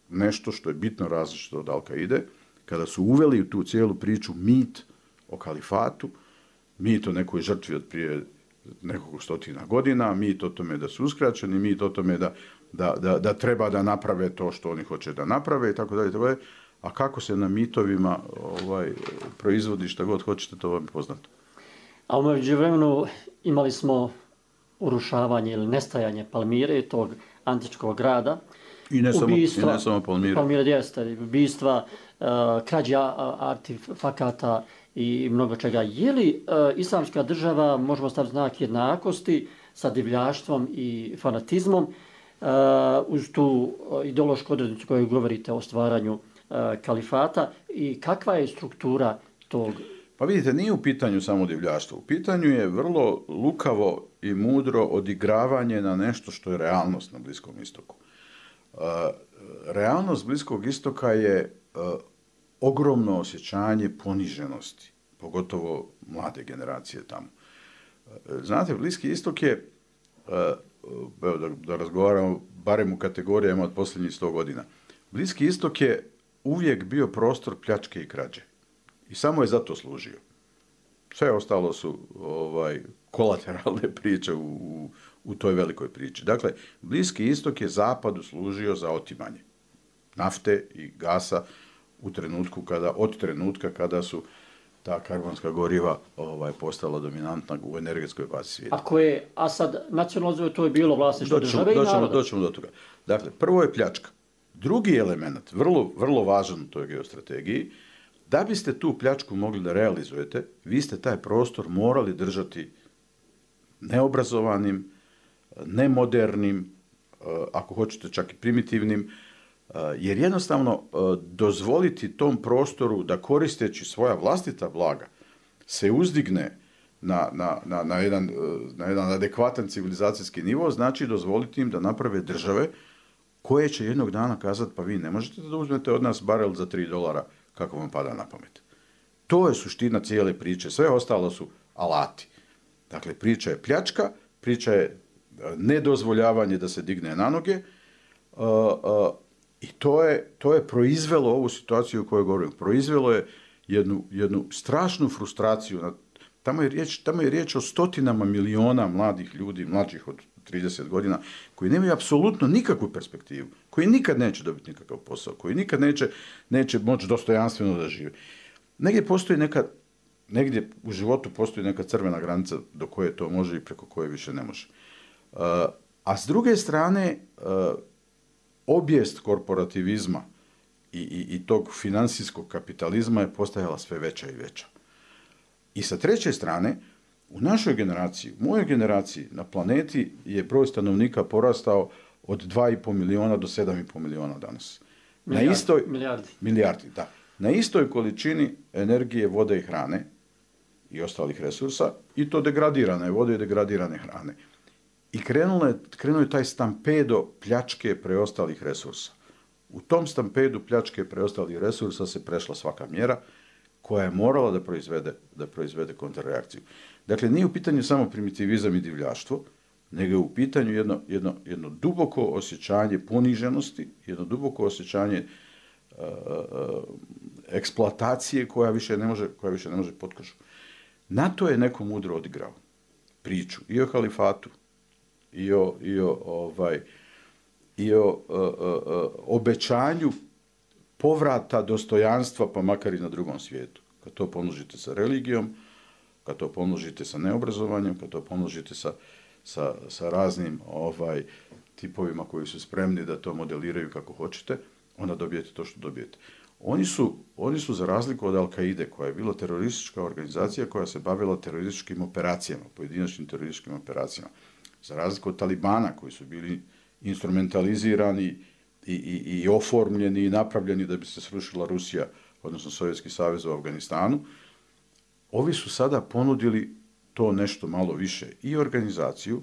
[SPEAKER 3] nešto što je bitno različito od Al-Kaide, kada su uveli u tu cijelu priču mit o kalifatu, mit o nekoj žrtvi od prije nekoliko stotina godina, mit o tome da su uskraćeni, mit o tome da treba da naprave to što oni hoće da naprave i tako dalje. A kako se na mitovima proizvodi šta god hoćete, to vam je poznato.
[SPEAKER 2] A u međuvremenu imali smo urušavanje ili nestajanje Palmire, tog antičkog grada.
[SPEAKER 3] I ne samo Palmire.
[SPEAKER 2] Palmire jeste, ubistva, krađa artefakata i mnogo čega. Je li islamska država, možemo staviti znak jednakosti sa divljaštvom i fanatizmom, uz tu ideološku odrednicu koju govorite o stvaranju kalifata, i kakva je struktura tog?
[SPEAKER 3] Pa vidite, nije u pitanju samo divljaštvo. U pitanju je vrlo lukavo i mudro odigravanje na nešto što je realnost na Bliskom istoku. Realnost Bliskog istoka je ogromno osjećanje poniženosti, pogotovo mlade generacije tamo. Znate, Bliski istok je, da razgovaramo barem u kategorijama od posljednjih 100 godina, Bliski istok je uvijek bio prostor pljačke i krađe. I samo je zato služio. Sve ostalo su kolateralne priče u toj velikoj priči. Dakle, Bliski istok je zapadu služio za otimanje nafte i gasa od trenutka kada su ta karbonska goriva postala dominantna u energetskoj bazi svijeta.
[SPEAKER 2] Ako je Asad nacionalizovao, to je bilo vlasništvo države i naroda.
[SPEAKER 3] Doćemo do toga. Dakle, prvo je pljačka. Drugi element, vrlo važan u toj geostrategiji, da biste tu pljačku mogli da realizujete, vi ste taj prostor morali držati neobrazovanim, nemodernim, ako hoćete čak i primitivnim, jer jednostavno dozvoliti tom prostoru da koristeći svoja vlastita blaga se uzdigne na jedan adekvatan civilizacijski nivo, znači dozvoliti im da naprave države koje će jednog dana kazati, pa vi ne možete da uzmete od nas barel za $3 kako vam pada na pamet. To je suština cijele priče. Sve ostalo su alati. Dakle, priča je pljačka, priča je nedozvoljavanje da se digne na noge i to je proizvelo ovu situaciju o kojoj govorim. Proizvelo je jednu strašnu frustraciju. Tamo je riječ o stotinama miliona mladih ljudi, mlađih od 30 godina, koji nemaju apsolutno nikakvu perspektivu, koji nikad neće dobiti nikakav posao, koji nikad neće moći dostojanstveno da žive. Negdje u životu postoji neka crvena granica do koje to može i preko koje više ne može. A s druge strane, obijest korporativizma i tog financijskog kapitalizma je postajala sve veća i veća. I sa treće strane, u našoj generaciji, u mojoj generaciji, na planeti je broj stanovnika porastao od 2,5 miliona do 7,5 miliona danas. Milijardi, da. Na istoj količini energije, vode i hrane i ostalih resursa, i to degradirane vode i degradirane hrane. I krenuo je taj stampedo pljačke preostalih resursa. U tom stampedu pljačke preostalih resursa se prešla svaka mjera koja je morala da proizvede kontrreakciju. Dakle, nije u pitanju samo primitivizam i divljaštvo, nego je u pitanju jedno duboko osjećanje poniženosti, jedno duboko osjećanje eksploatacije koja više ne može potkožu. Na to je neko mudro odigrao priču i o halifatu, i o obećanju povrata dostojanstva, pa makar i na drugom svijetu. Kad to pomnožite sa religijom, kad to pomnožite sa neobrazovanjem, kad to pomnožite sa raznim tipovima koji su spremni da to modeliraju kako hoćete, onda dobijete to što dobijete. Oni su za razliku od Al-Kaide, koja je bila teroristička organizacija koja se bavila terorističkim operacijama, pojedinačnim terorističkim operacijama, za razliku od Talibana koji su bili instrumentalizirani i oformljeni i napravljeni da bi se srušila Rusija, odnosno Sovjetski savez u Afganistanu, ovi su sada ponudili to nešto malo više i organizaciju,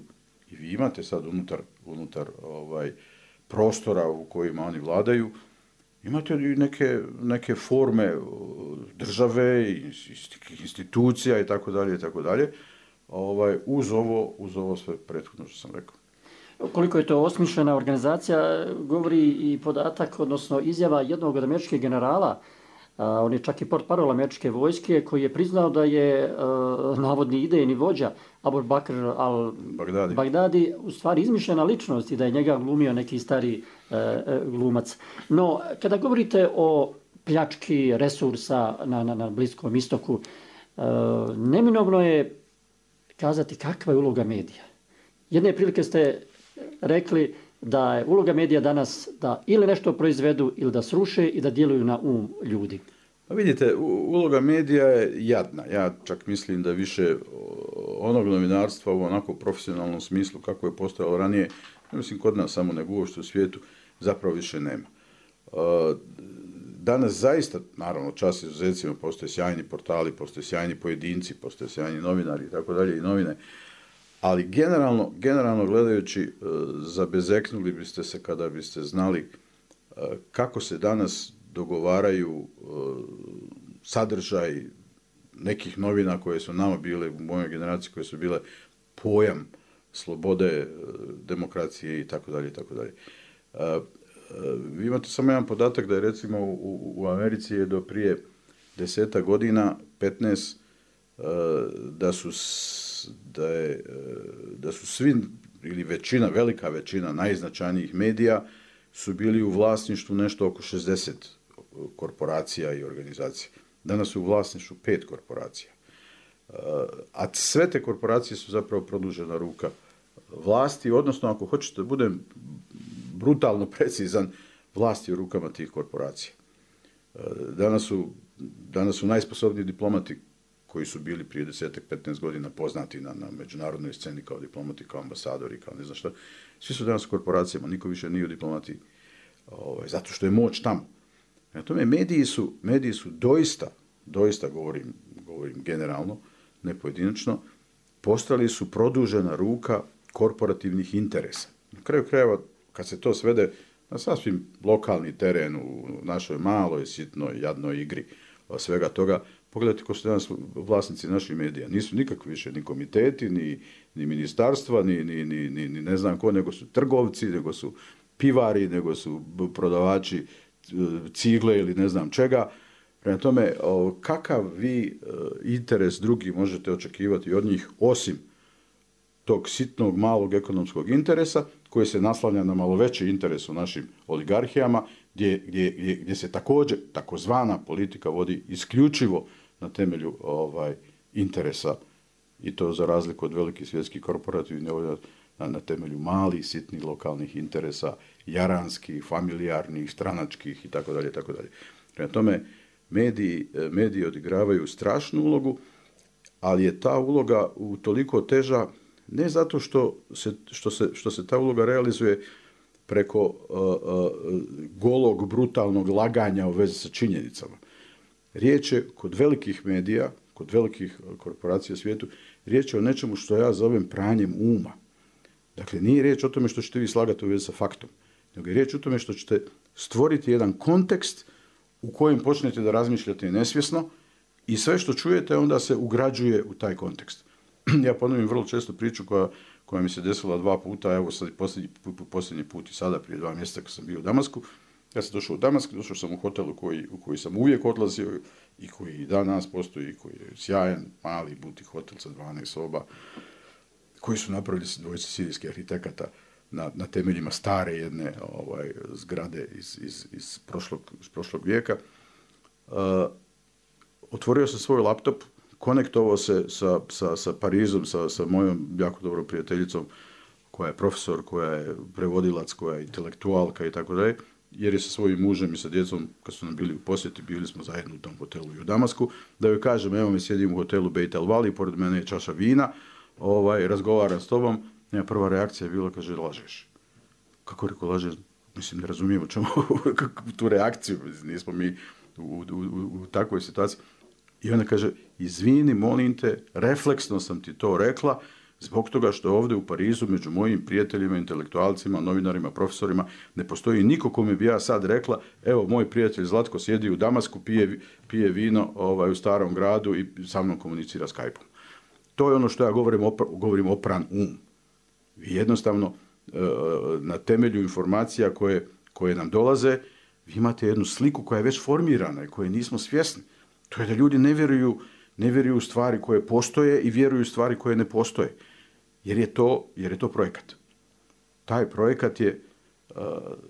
[SPEAKER 3] i vi imate sad unutar prostora u kojima oni vladaju, imate i neke forme države, institucija i tako dalje, uz ovo sve prethodno što sam rekao.
[SPEAKER 2] Koliko je to osmišljena organizacija, govori i podatak, odnosno izjava jednog od američkih generala, on je čak i portparol američke vojske, koji je priznao da je navodni idejni vođa Abu Bakr al-Baghdadi u stvari izmišljena ličnost i da je njega glumio neki stari glumac. No, kada govorite o pljački resursa na Bliskom istoku, neminovno je kazati kakva je uloga medija. Jedne prilike ste rekli da je uloga medija danas da ili nešto proizvedu ili da sruše i da djeluju na ljudi.
[SPEAKER 3] Pa vidite, uloga medija je jadna. Ja čak mislim da više onog novinarstva u onako profesionalnom smislu kako je postojalo ranije, ne mislim kod nas samo nego uopšte u svijetu, zapravo više nema. Danas zaista, naravno, čast izuzecima, postoje sjajni portali, postoje sjajni pojedinci, postoje sjajni novinari i tako dalje i novine. Ali generalno gledajući, zabezeknuli biste se kada biste znali kako se danas dogovaraju sadržaj nekih novina koje su nama bile, u mojoj generaciji, koje su bile pojam slobode, demokracije i tako dalje i tako dalje. Vi imate samo jedan podatak da je recimo u Americi je do prije 10 godina, 15, da su svi ili velika većina najznačajnijih medija su bili u vlasništvu nešto oko 60 korporacija i organizacija. Danas su u vlasništvu 5 korporacija. A sve te korporacije su zapravo produžena ruka vlasti, odnosno ako hoćete da budem brutalno precizan, vlasti u rukama tih korporacija. Danas su najsposobniji diplomati koji su bili prije 10-15 godina poznati na međunarodnoj sceni kao diplomati, kao ambasadori, kao ne znam šta. Svi su danas u korporacijama, niko više nije u diplomati, zato što je moć tamo. Na tome, mediji su doista govorim generalno, ne pojedinačno, postali su produžena ruka korporativnih interesa. Na kraju krajeva, kad se to svede na sasvim lokalni teren u našoj maloj, sitnoj, jadnoj igri svega toga, pogledajte ko su danas vlasnici naših medija. Nisu nikakvi više ni komiteti, ni ministarstva, ni ne znam ko, nego su trgovci, nego su pivari, nego su prodavači cigle ili ne znam čega. Prema tome, kakav vi interes drugi možete očekivati od njih, osim tog sitnog, malog ekonomskog interesa, koji se naslanja na malo veći interes u našim oligarhijama, gdje se također takozvana politika vodi isključivo na temelju interesa, i to za razliku od velikih svjetskih korporativnih, na temelju malih, sitnih, lokalnih interesa, jaranskih, familijarnih, stranačkih itd. Prema tome, mediji odigravaju strašnu ulogu, ali je ta uloga utoliko teža ne zato što se ta uloga realizuje preko golog, brutalnog laganja u vezi sa činjenicama. Riječ je kod velikih medija, kod velikih korporacija u svijetu, riječ je o nečemu što ja zovem pranjem uma. Dakle, nije riječ o tome što ćete vi slagati u vezi sa faktom, nego je riječ o tome što ćete stvoriti jedan kontekst u kojem počnete da razmišljate nesvjesno i sve što čujete onda se ugrađuje u taj kontekst. Ja ponovim vrlo često priču koja mi se desila 2 puta, evo sad posljednji put i sada prije 2 mjeseca kad sam bio u Damasku. Ja sam došao u Damask, došao sam u hotel u koji sam uvijek odlazio i koji i danas postoji, koji je sjajan, mali butik hotel sa 12 soba, koji su napravili dvojice sirijskih arhitekata na temeljima stare jedne zgrade iz prošlog vijeka. Otvorio sam svoj laptop, konektovao se sa Parizom, sa mojom jako dobrom prijateljicom, koja je profesor, koja je prevodilac, koja je intelektualka i tako dalje, jer je sa svojim mužem i sa djecom, kad su nam bili u posjeti, bili smo zajedno u tom hotelu i u Damasku, da joj kažem, evo mi sjedim u hotelu Beit El Vali, pored mene je čaša vina, razgovaram s tobom, Njena prva reakcija je bila, kaže, lažeš. Kako rekao, lažeš? Mislim, ne razumijemo čemu tu reakciju, nismo mi u takvoj situaciji. I ona kaže, izvini, molim te, refleksno sam ti to rekla, zbog toga što ovdje u Parizu među mojim prijateljima, intelektualcima, novinarima, profesorima ne postoji niko kome bi ja sad rekla, evo, moj prijatelj Zlatko sjedi u Damasku, pije vino u Starom gradu i sa mnom komunicira Skype-om. To je ono što ja govorim opran um. Vi jednostavno na temelju informacija koje nam dolaze, vi imate jednu sliku koja je već formirana i koje nismo svjesni. To je da ljudi ne vjeruju u stvari koje postoje i vjeruju u stvari koje ne postoje. Jer je to projekat. Taj projekat je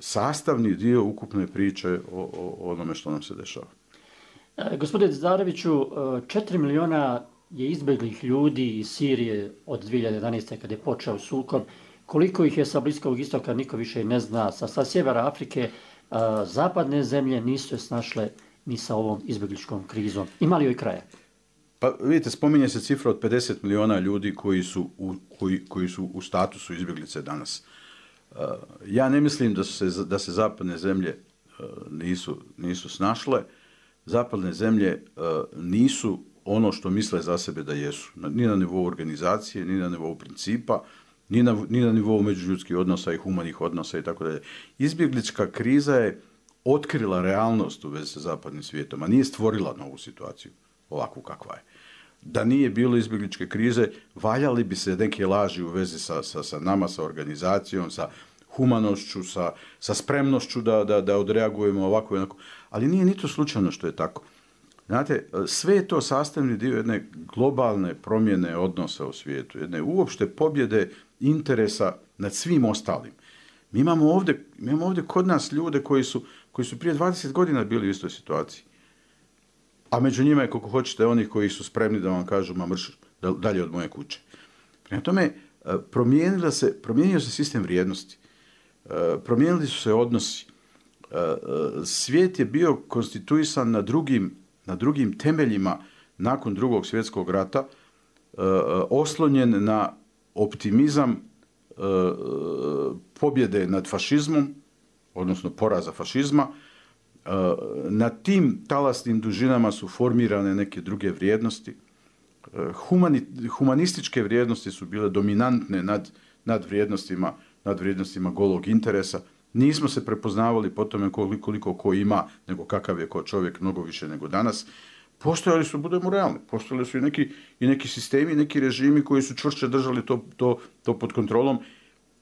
[SPEAKER 3] sastavni dio ukupne priče o onome što nam se dešava.
[SPEAKER 2] Gospodine Zareviću, 4 miliona je izbjeglih ljudi iz Sirije od 2011. kada je počeo sukob. Koliko ih je sa Bliskog istoka, niko više ne zna. Sa sjevera Afrike zapadne zemlje nisu se snašle ni sa ovom izbjegličkom krizom. Ima li joj kraja?
[SPEAKER 3] Pa vidite, spominje se cifra od 50 miliona ljudi koji su u statusu izbjeglice danas. Ja ne mislim da se zapadne zemlje nisu snašle. Zapadne zemlje nisu ono što misle za sebe da jesu. Ni na nivou organizacije, ni na nivou principa, ni na nivou međuljudskih odnosa i humanih odnosa i tako dalje. Izbjeglička kriza je otkrila realnost u vezi sa zapadnim svijetom, a nije stvorila novu situaciju ovakvu kakva je. Da nije bilo izbjegličke krize, valjali bi se neke laži u vezi sa nama, sa organizacijom, sa humanošću, sa spremnošću da odreagujemo ovako i onako. Ali nije ni to slučajno što je tako. Znate, sve je to sastavni dio jedne globalne promjene odnosa u svijetu, jedne uopšte pobjede interesa nad svim ostalim. Mi imamo ovdje kod nas ljude koji su prije 20 godina bili u istoj situaciji. A među njima je, koliko hoćete, onih koji su spremni da vam kažu, ma mrš dalje od moje kuće. Prema tome, promijenio se sistem vrijednosti. Promijenili su se odnosi. Svijet je bio konstituisan na drugim temeljima nakon Drugog svjetskog rata, oslonjen na optimizam pobjede nad fašizmom, odnosno poraza fašizma. Na tim talasnim dužinama su formirane neke druge vrijednosti. Humanističke vrijednosti su bile dominantne nad vrijednostima golog interesa. Nismo se prepoznavali po tome koliko ko ima, nego kakav je ko čovjek, mnogo više nego danas. Postojali su, budemo realni, postojali su i neki sistemi, neki režimi koji su čvršće držali to pod kontrolom,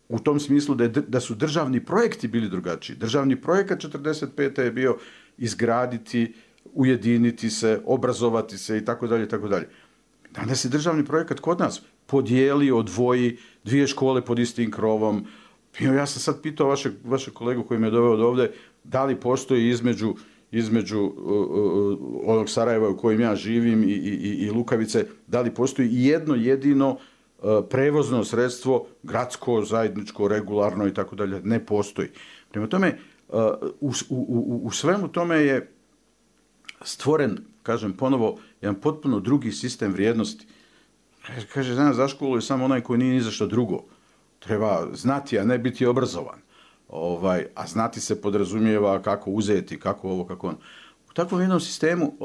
[SPEAKER 3] u tom smislu da su državni projekti bili drugačiji. Državni projekat 45. je bio izgraditi, ujediniti se, obrazovati se i tako dalje, tako dalje. Danas je državni projekat kod nas podijeli, odvoji, 2 škole pod istim krovom. Ja sam sad pitao vašeg kolegu koji me je doveo do ovdje, da li postoji između onog Sarajeva u kojem ja živim i Lukavice, da li postoji jedno jedino prevozno sredstvo, gradsko, zajedničko, regularno i tako dalje, ne postoji. Prema tome, u svemu tome je stvoren, kažem ponovo, jedan potpuno drugi sistem vrijednosti. Kaže, danas za školu je samo onaj koji nije ni za što drugo. Treba znati, a ne biti obrazovan. A znati se podrazumijeva kako uzeti, kako ovo, kako ono. U takvom jednom sistemu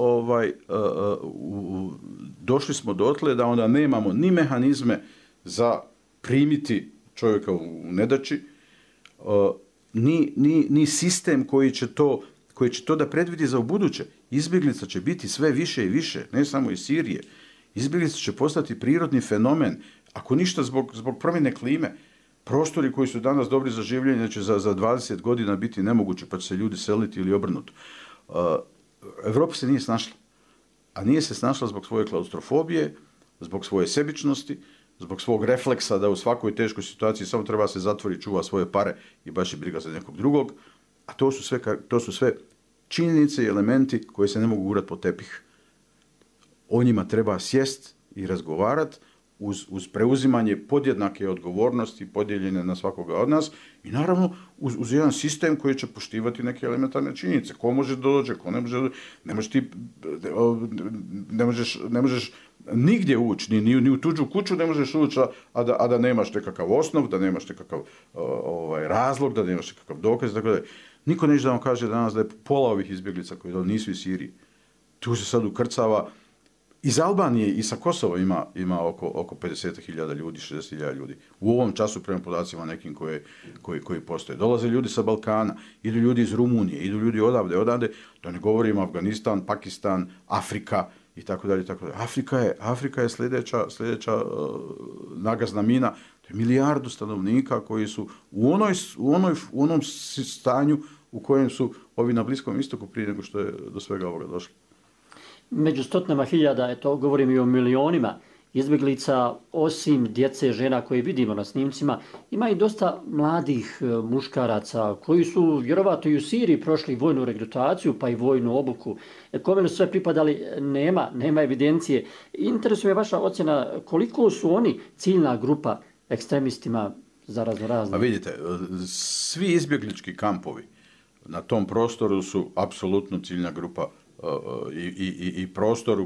[SPEAKER 3] došli smo dotle da onda nemamo ni mehanizme za primiti čovjeka u nedaći, ni sistem koji će to da predvidi za ubuduće. Izbjeglica će biti sve više i više, ne samo iz Sirije. Izbjeglica će postati prirodni fenomen, ako ništa zbog promjene klime. Prostori koji su danas dobri za življenje će za 20 godina biti nemoguće, pa će se ljudi seliti ili obrnuto. Evropa se nije snašla. A nije se snašla zbog svoje klaustrofobije, zbog svoje sebičnosti, zbog svog refleksa da u svakoj teškoj situaciji samo treba se zatvori, čuva svoje pare i baš je briga za nekog drugog. A to su sve činjenice i elementi koji se ne mogu gurati pod tepih. O njima treba sjest i razgovarati uz preuzimanje podjednake odgovornosti podijeljene na svakoga od nas i naravno uz jedan sistem koji će poštivati neke elementarne činjenice. Ko može dođe, ko ne može, ne možeš nigdje ući, ni u tuđu kuću ne možeš ući, a da nemaš nekakav osnov, da nemaš nekakav razlog, da nemaš nekakav dokaz, tako da niko neće da vam kaže danas da je pola ovih izbjeglica koji nisu iz Sirije. Tu se sad ukrcava. Iz Albanije i sa Kosova ima oko 50.000 ljudi, 60.000 ljudi. U ovom času prema podacima nekim koji postoje. Dolaze ljudi sa Balkana, idu ljudi iz Rumunije, idu ljudi odavde, da ne govorimo Afganistan, Pakistan, Afrika i tako dalje. Afrika je sljedeća nagazna mina. To je 1 milijardu stanovnika koji su u onom stanju u kojem su ovi na Bliskom istoku prije nego što je do svega ovoga došlo.
[SPEAKER 2] Među stotinama hiljada, govorim i o milionima izbjeglica, osim djece, žena koje vidimo na snimcima, ima i dosta mladih muškaraca koji su vjerovatno i u Siriji prošli vojnu regrutaciju pa i vojnu obuku. Kome su sve pripadali, nema evidencije. Interesuje me vaša ocjena koliko su oni ciljna grupa ekstremistima za raznorazne.
[SPEAKER 3] A vidite, svi izbjeglički kampovi na tom prostoru su apsolutno ciljna grupa i prostor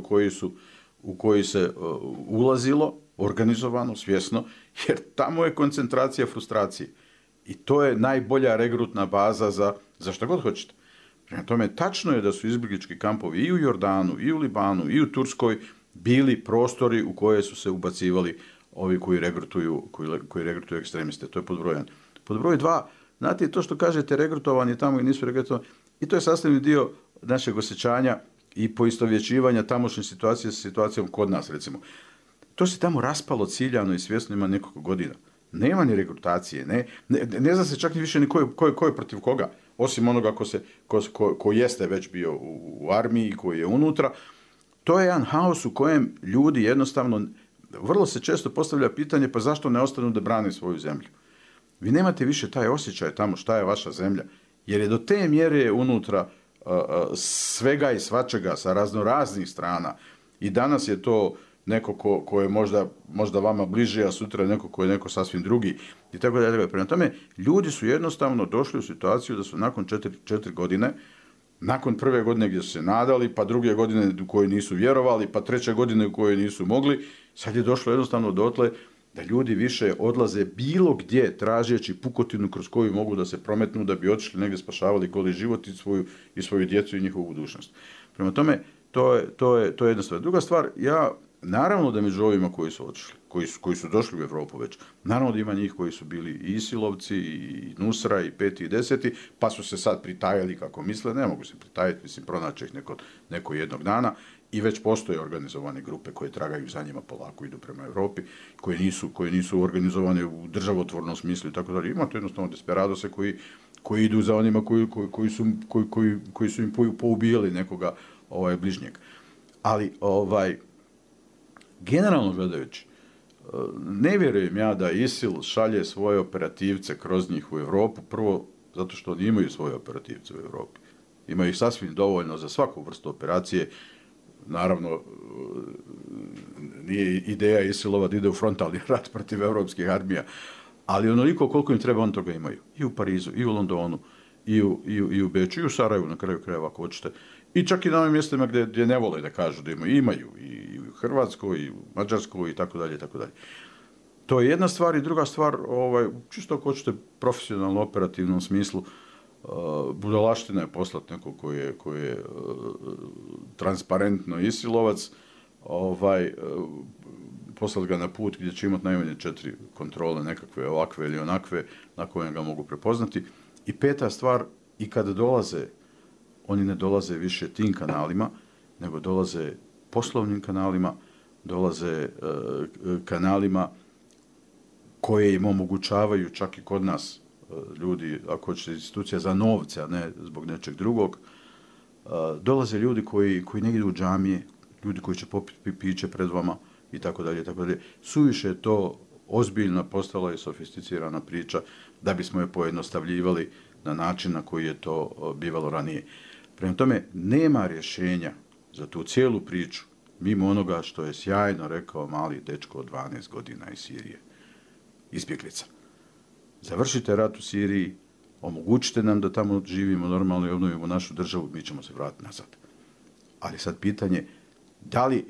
[SPEAKER 3] u koji se ulazilo organizovano, svjesno, jer tamo je koncentracija frustracije. I to je najbolja regrutna baza za što god hoćete. Prema tome, tačno je da su izbjeglički kampovi i u Jordanu, i u Libanu, i u Turskoj bili prostori u koje su se ubacivali ovi koji regrutuju ekstremiste. To je pod broj 1. Pod broj 2, znate, to što kažete regrutovani tamo i nisu regrutovani, i to je sastavni dio našeg osjećanja i poistovjećivanja tamošnje situacije sa situacijom kod nas, recimo. To se tamo raspalo ciljano i svjesno ima nekoliko godina. Nema ni regrutacije, ne zna se čak ni više ni ko je protiv koga, osim onoga ko jeste već bio u armiji, koji je unutra. To je jedan haos u kojem ljudi jednostavno, vrlo se često postavlja pitanje, pa zašto ne ostanu da brane svoju zemlju? Vi nemate više taj osjećaj tamo šta je vaša zemlja, jer je do te mjere unutra svega i svačega sa raznoraznih strana i danas je to neko ko je možda vama bliže, a sutra neko ko je neko sasvim drugi i tako dalje. Prema tome, ljudi su jednostavno došli u situaciju da su nakon 4 godine, nakon prve godine gdje su se nadali, pa druge godine u koje nisu vjerovali, pa treće godine u koje nisu mogli, sad je došlo jednostavno dotle da ljudi više odlaze bilo gdje tražeći pukotinu kroz koju mogu da se prometnu da bi otišli negdje spašavali goli život i svoju djecu i njihovu budućnost. Prema tome, to je jedna stvar. Druga stvar, naravno da među ovima koji su otišli, koji su došli u Evropu već, naravno da ima njih koji su bili i Isilovci, i Nusra, i 5. i 10. pa su se sad pritajali kako misle, ne mogu se pritajati, mislim, pronaći ih neko jednog dana. I već postoje organizovane grupe koje tragaju za njima, polako idu prema Evropi, koje nisu organizovane u državotvornom smislu i tako dalje. Imate jednostavno desperadose koji idu za onima koji su im poubijali nekoga bližnjeg. Ali generalno gledajući, ne vjerujem ja da ISIL šalje svoje operativce kroz njih u Evropu, prvo zato što oni imaju svoje operativce u Evropi. Imaju ih sasvim dovoljno za svaku vrstu operacije. Naravno, nije ideja ISIL-ova da ide u frontalni rat protiv evropskih armija, ali onoliko koliko im treba, on toga imaju. I u Parizu, i u Londonu, i u Beču, i u Sarajevu, na kraju krajeva, ako hoćete. I čak i na ovim mjestima gdje ne vole da kažu da imaju. I u Hrvatskoj, i u Mađarskoj, i tako dalje, i tako dalje. To je jedna stvar. I druga stvar, čisto ako hoćete profesionalno, operativnom smislu, budalaština je poslati nekog koji je transparentno isilovac, poslati ga na put gdje će imati najmanje 4 kontrole, nekakve ovakve ili onakve, na koje ga mogu prepoznati. I 5. stvar, i kada dolaze, oni ne dolaze više tim kanalima, nego dolaze poslovnim kanalima, dolaze kanalima koje im omogućavaju čak i kod nas ljudi, ako hoćete, institucija za novce, a ne zbog nečeg drugog. Dolaze ljudi koji ne idu u džamije, ljudi koji će popiti piće pred vama i tako dalje, tako dalje. Suviše je to ozbiljna postala i sofisticirana priča da bismo je pojednostavljivali na način na koji je to bivalo ranije. Prema tome, nema rješenja za tu cijelu priču mimo onoga što je sjajno rekao mali dečko od 12 godina iz Sirije, izbjeglica. Završite rat u Siriji, omogućite nam da tamo živimo normalno i obnovimo našu državu, mi ćemo se vratiti nazad. Ali sad pitanje, da li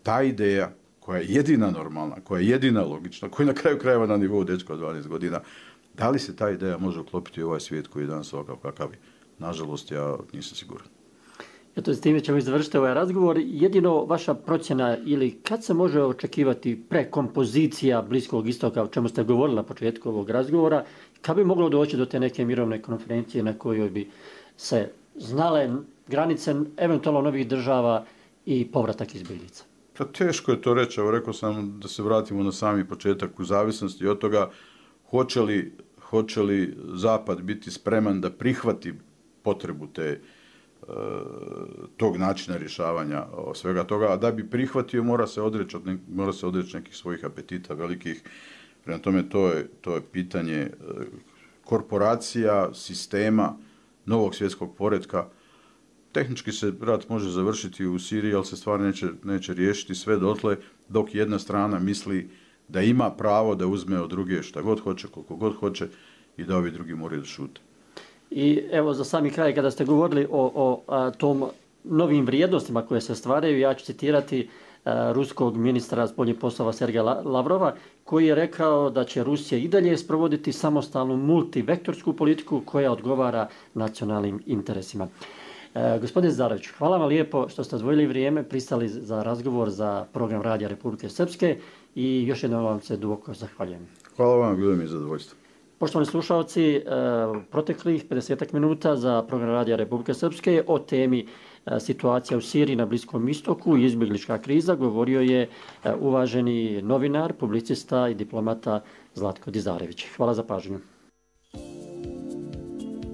[SPEAKER 3] ta ideja koja je jedina normalna, koja je jedina logična, koja je na kraju krajeva na nivou dečka od 12 godina, da li se ta ideja može uklopiti u ovaj svijet koji je danas ovakav kakav je? Nažalost, ja nisam siguran.
[SPEAKER 2] Eto, s time ćemo završiti ovaj razgovor. Jedino vaša procjena ili kad se može očekivati prekompozicija Bliskog istoka, o čemu ste govorili na početku ovog razgovora, kad bi moglo doći do te neke mirovne konferencije na kojoj bi se znale granice eventualno novih država i povratak izbjeglica?
[SPEAKER 3] Pa teško je to reći, evo rekao sam da se vratimo na sami početak u zavisnosti od toga hoće li Zapad biti spreman da prihvati potrebu tog načina rješavanja svega toga, a da bi prihvatio mora se odreći nekih svojih apetita velikih. Prema tome to je pitanje korporacija, sistema, novog svjetskog poretka. Tehnički se rat može završiti u Siriji, ali se stvar neće riješiti sve dotle dok jedna strana misli da ima pravo da uzme od druge šta god hoće, koliko god hoće i da ovi drugi moraju da šute.
[SPEAKER 2] I evo za sami kraj, kada ste govorili o tom novim vrijednostima koje se stvaraju, ja ću citirati ruskog ministra spoljnih poslova Sergeja Lavrova, koji je rekao da će Rusija i dalje sprovoditi samostalnu multivektorsku politiku koja odgovara nacionalnim interesima. Gospodine Zarović, hvala vam lijepo što ste odvojili vrijeme, pristali za razgovor za program Radija Republike Srpske i još jednom vam se duboko zahvaljujem.
[SPEAKER 3] Hvala vam, bilo mi je zadovoljstvo.
[SPEAKER 2] Poštovani slušalci, proteklih 50 minuta za program Radija Republike Srpske o temi situacija u Siriji na Bliskom istoku i izbjeglička kriza govorio je uvaženi novinar, publicista i diplomata Zlatko Dizarević. Hvala za pažnju.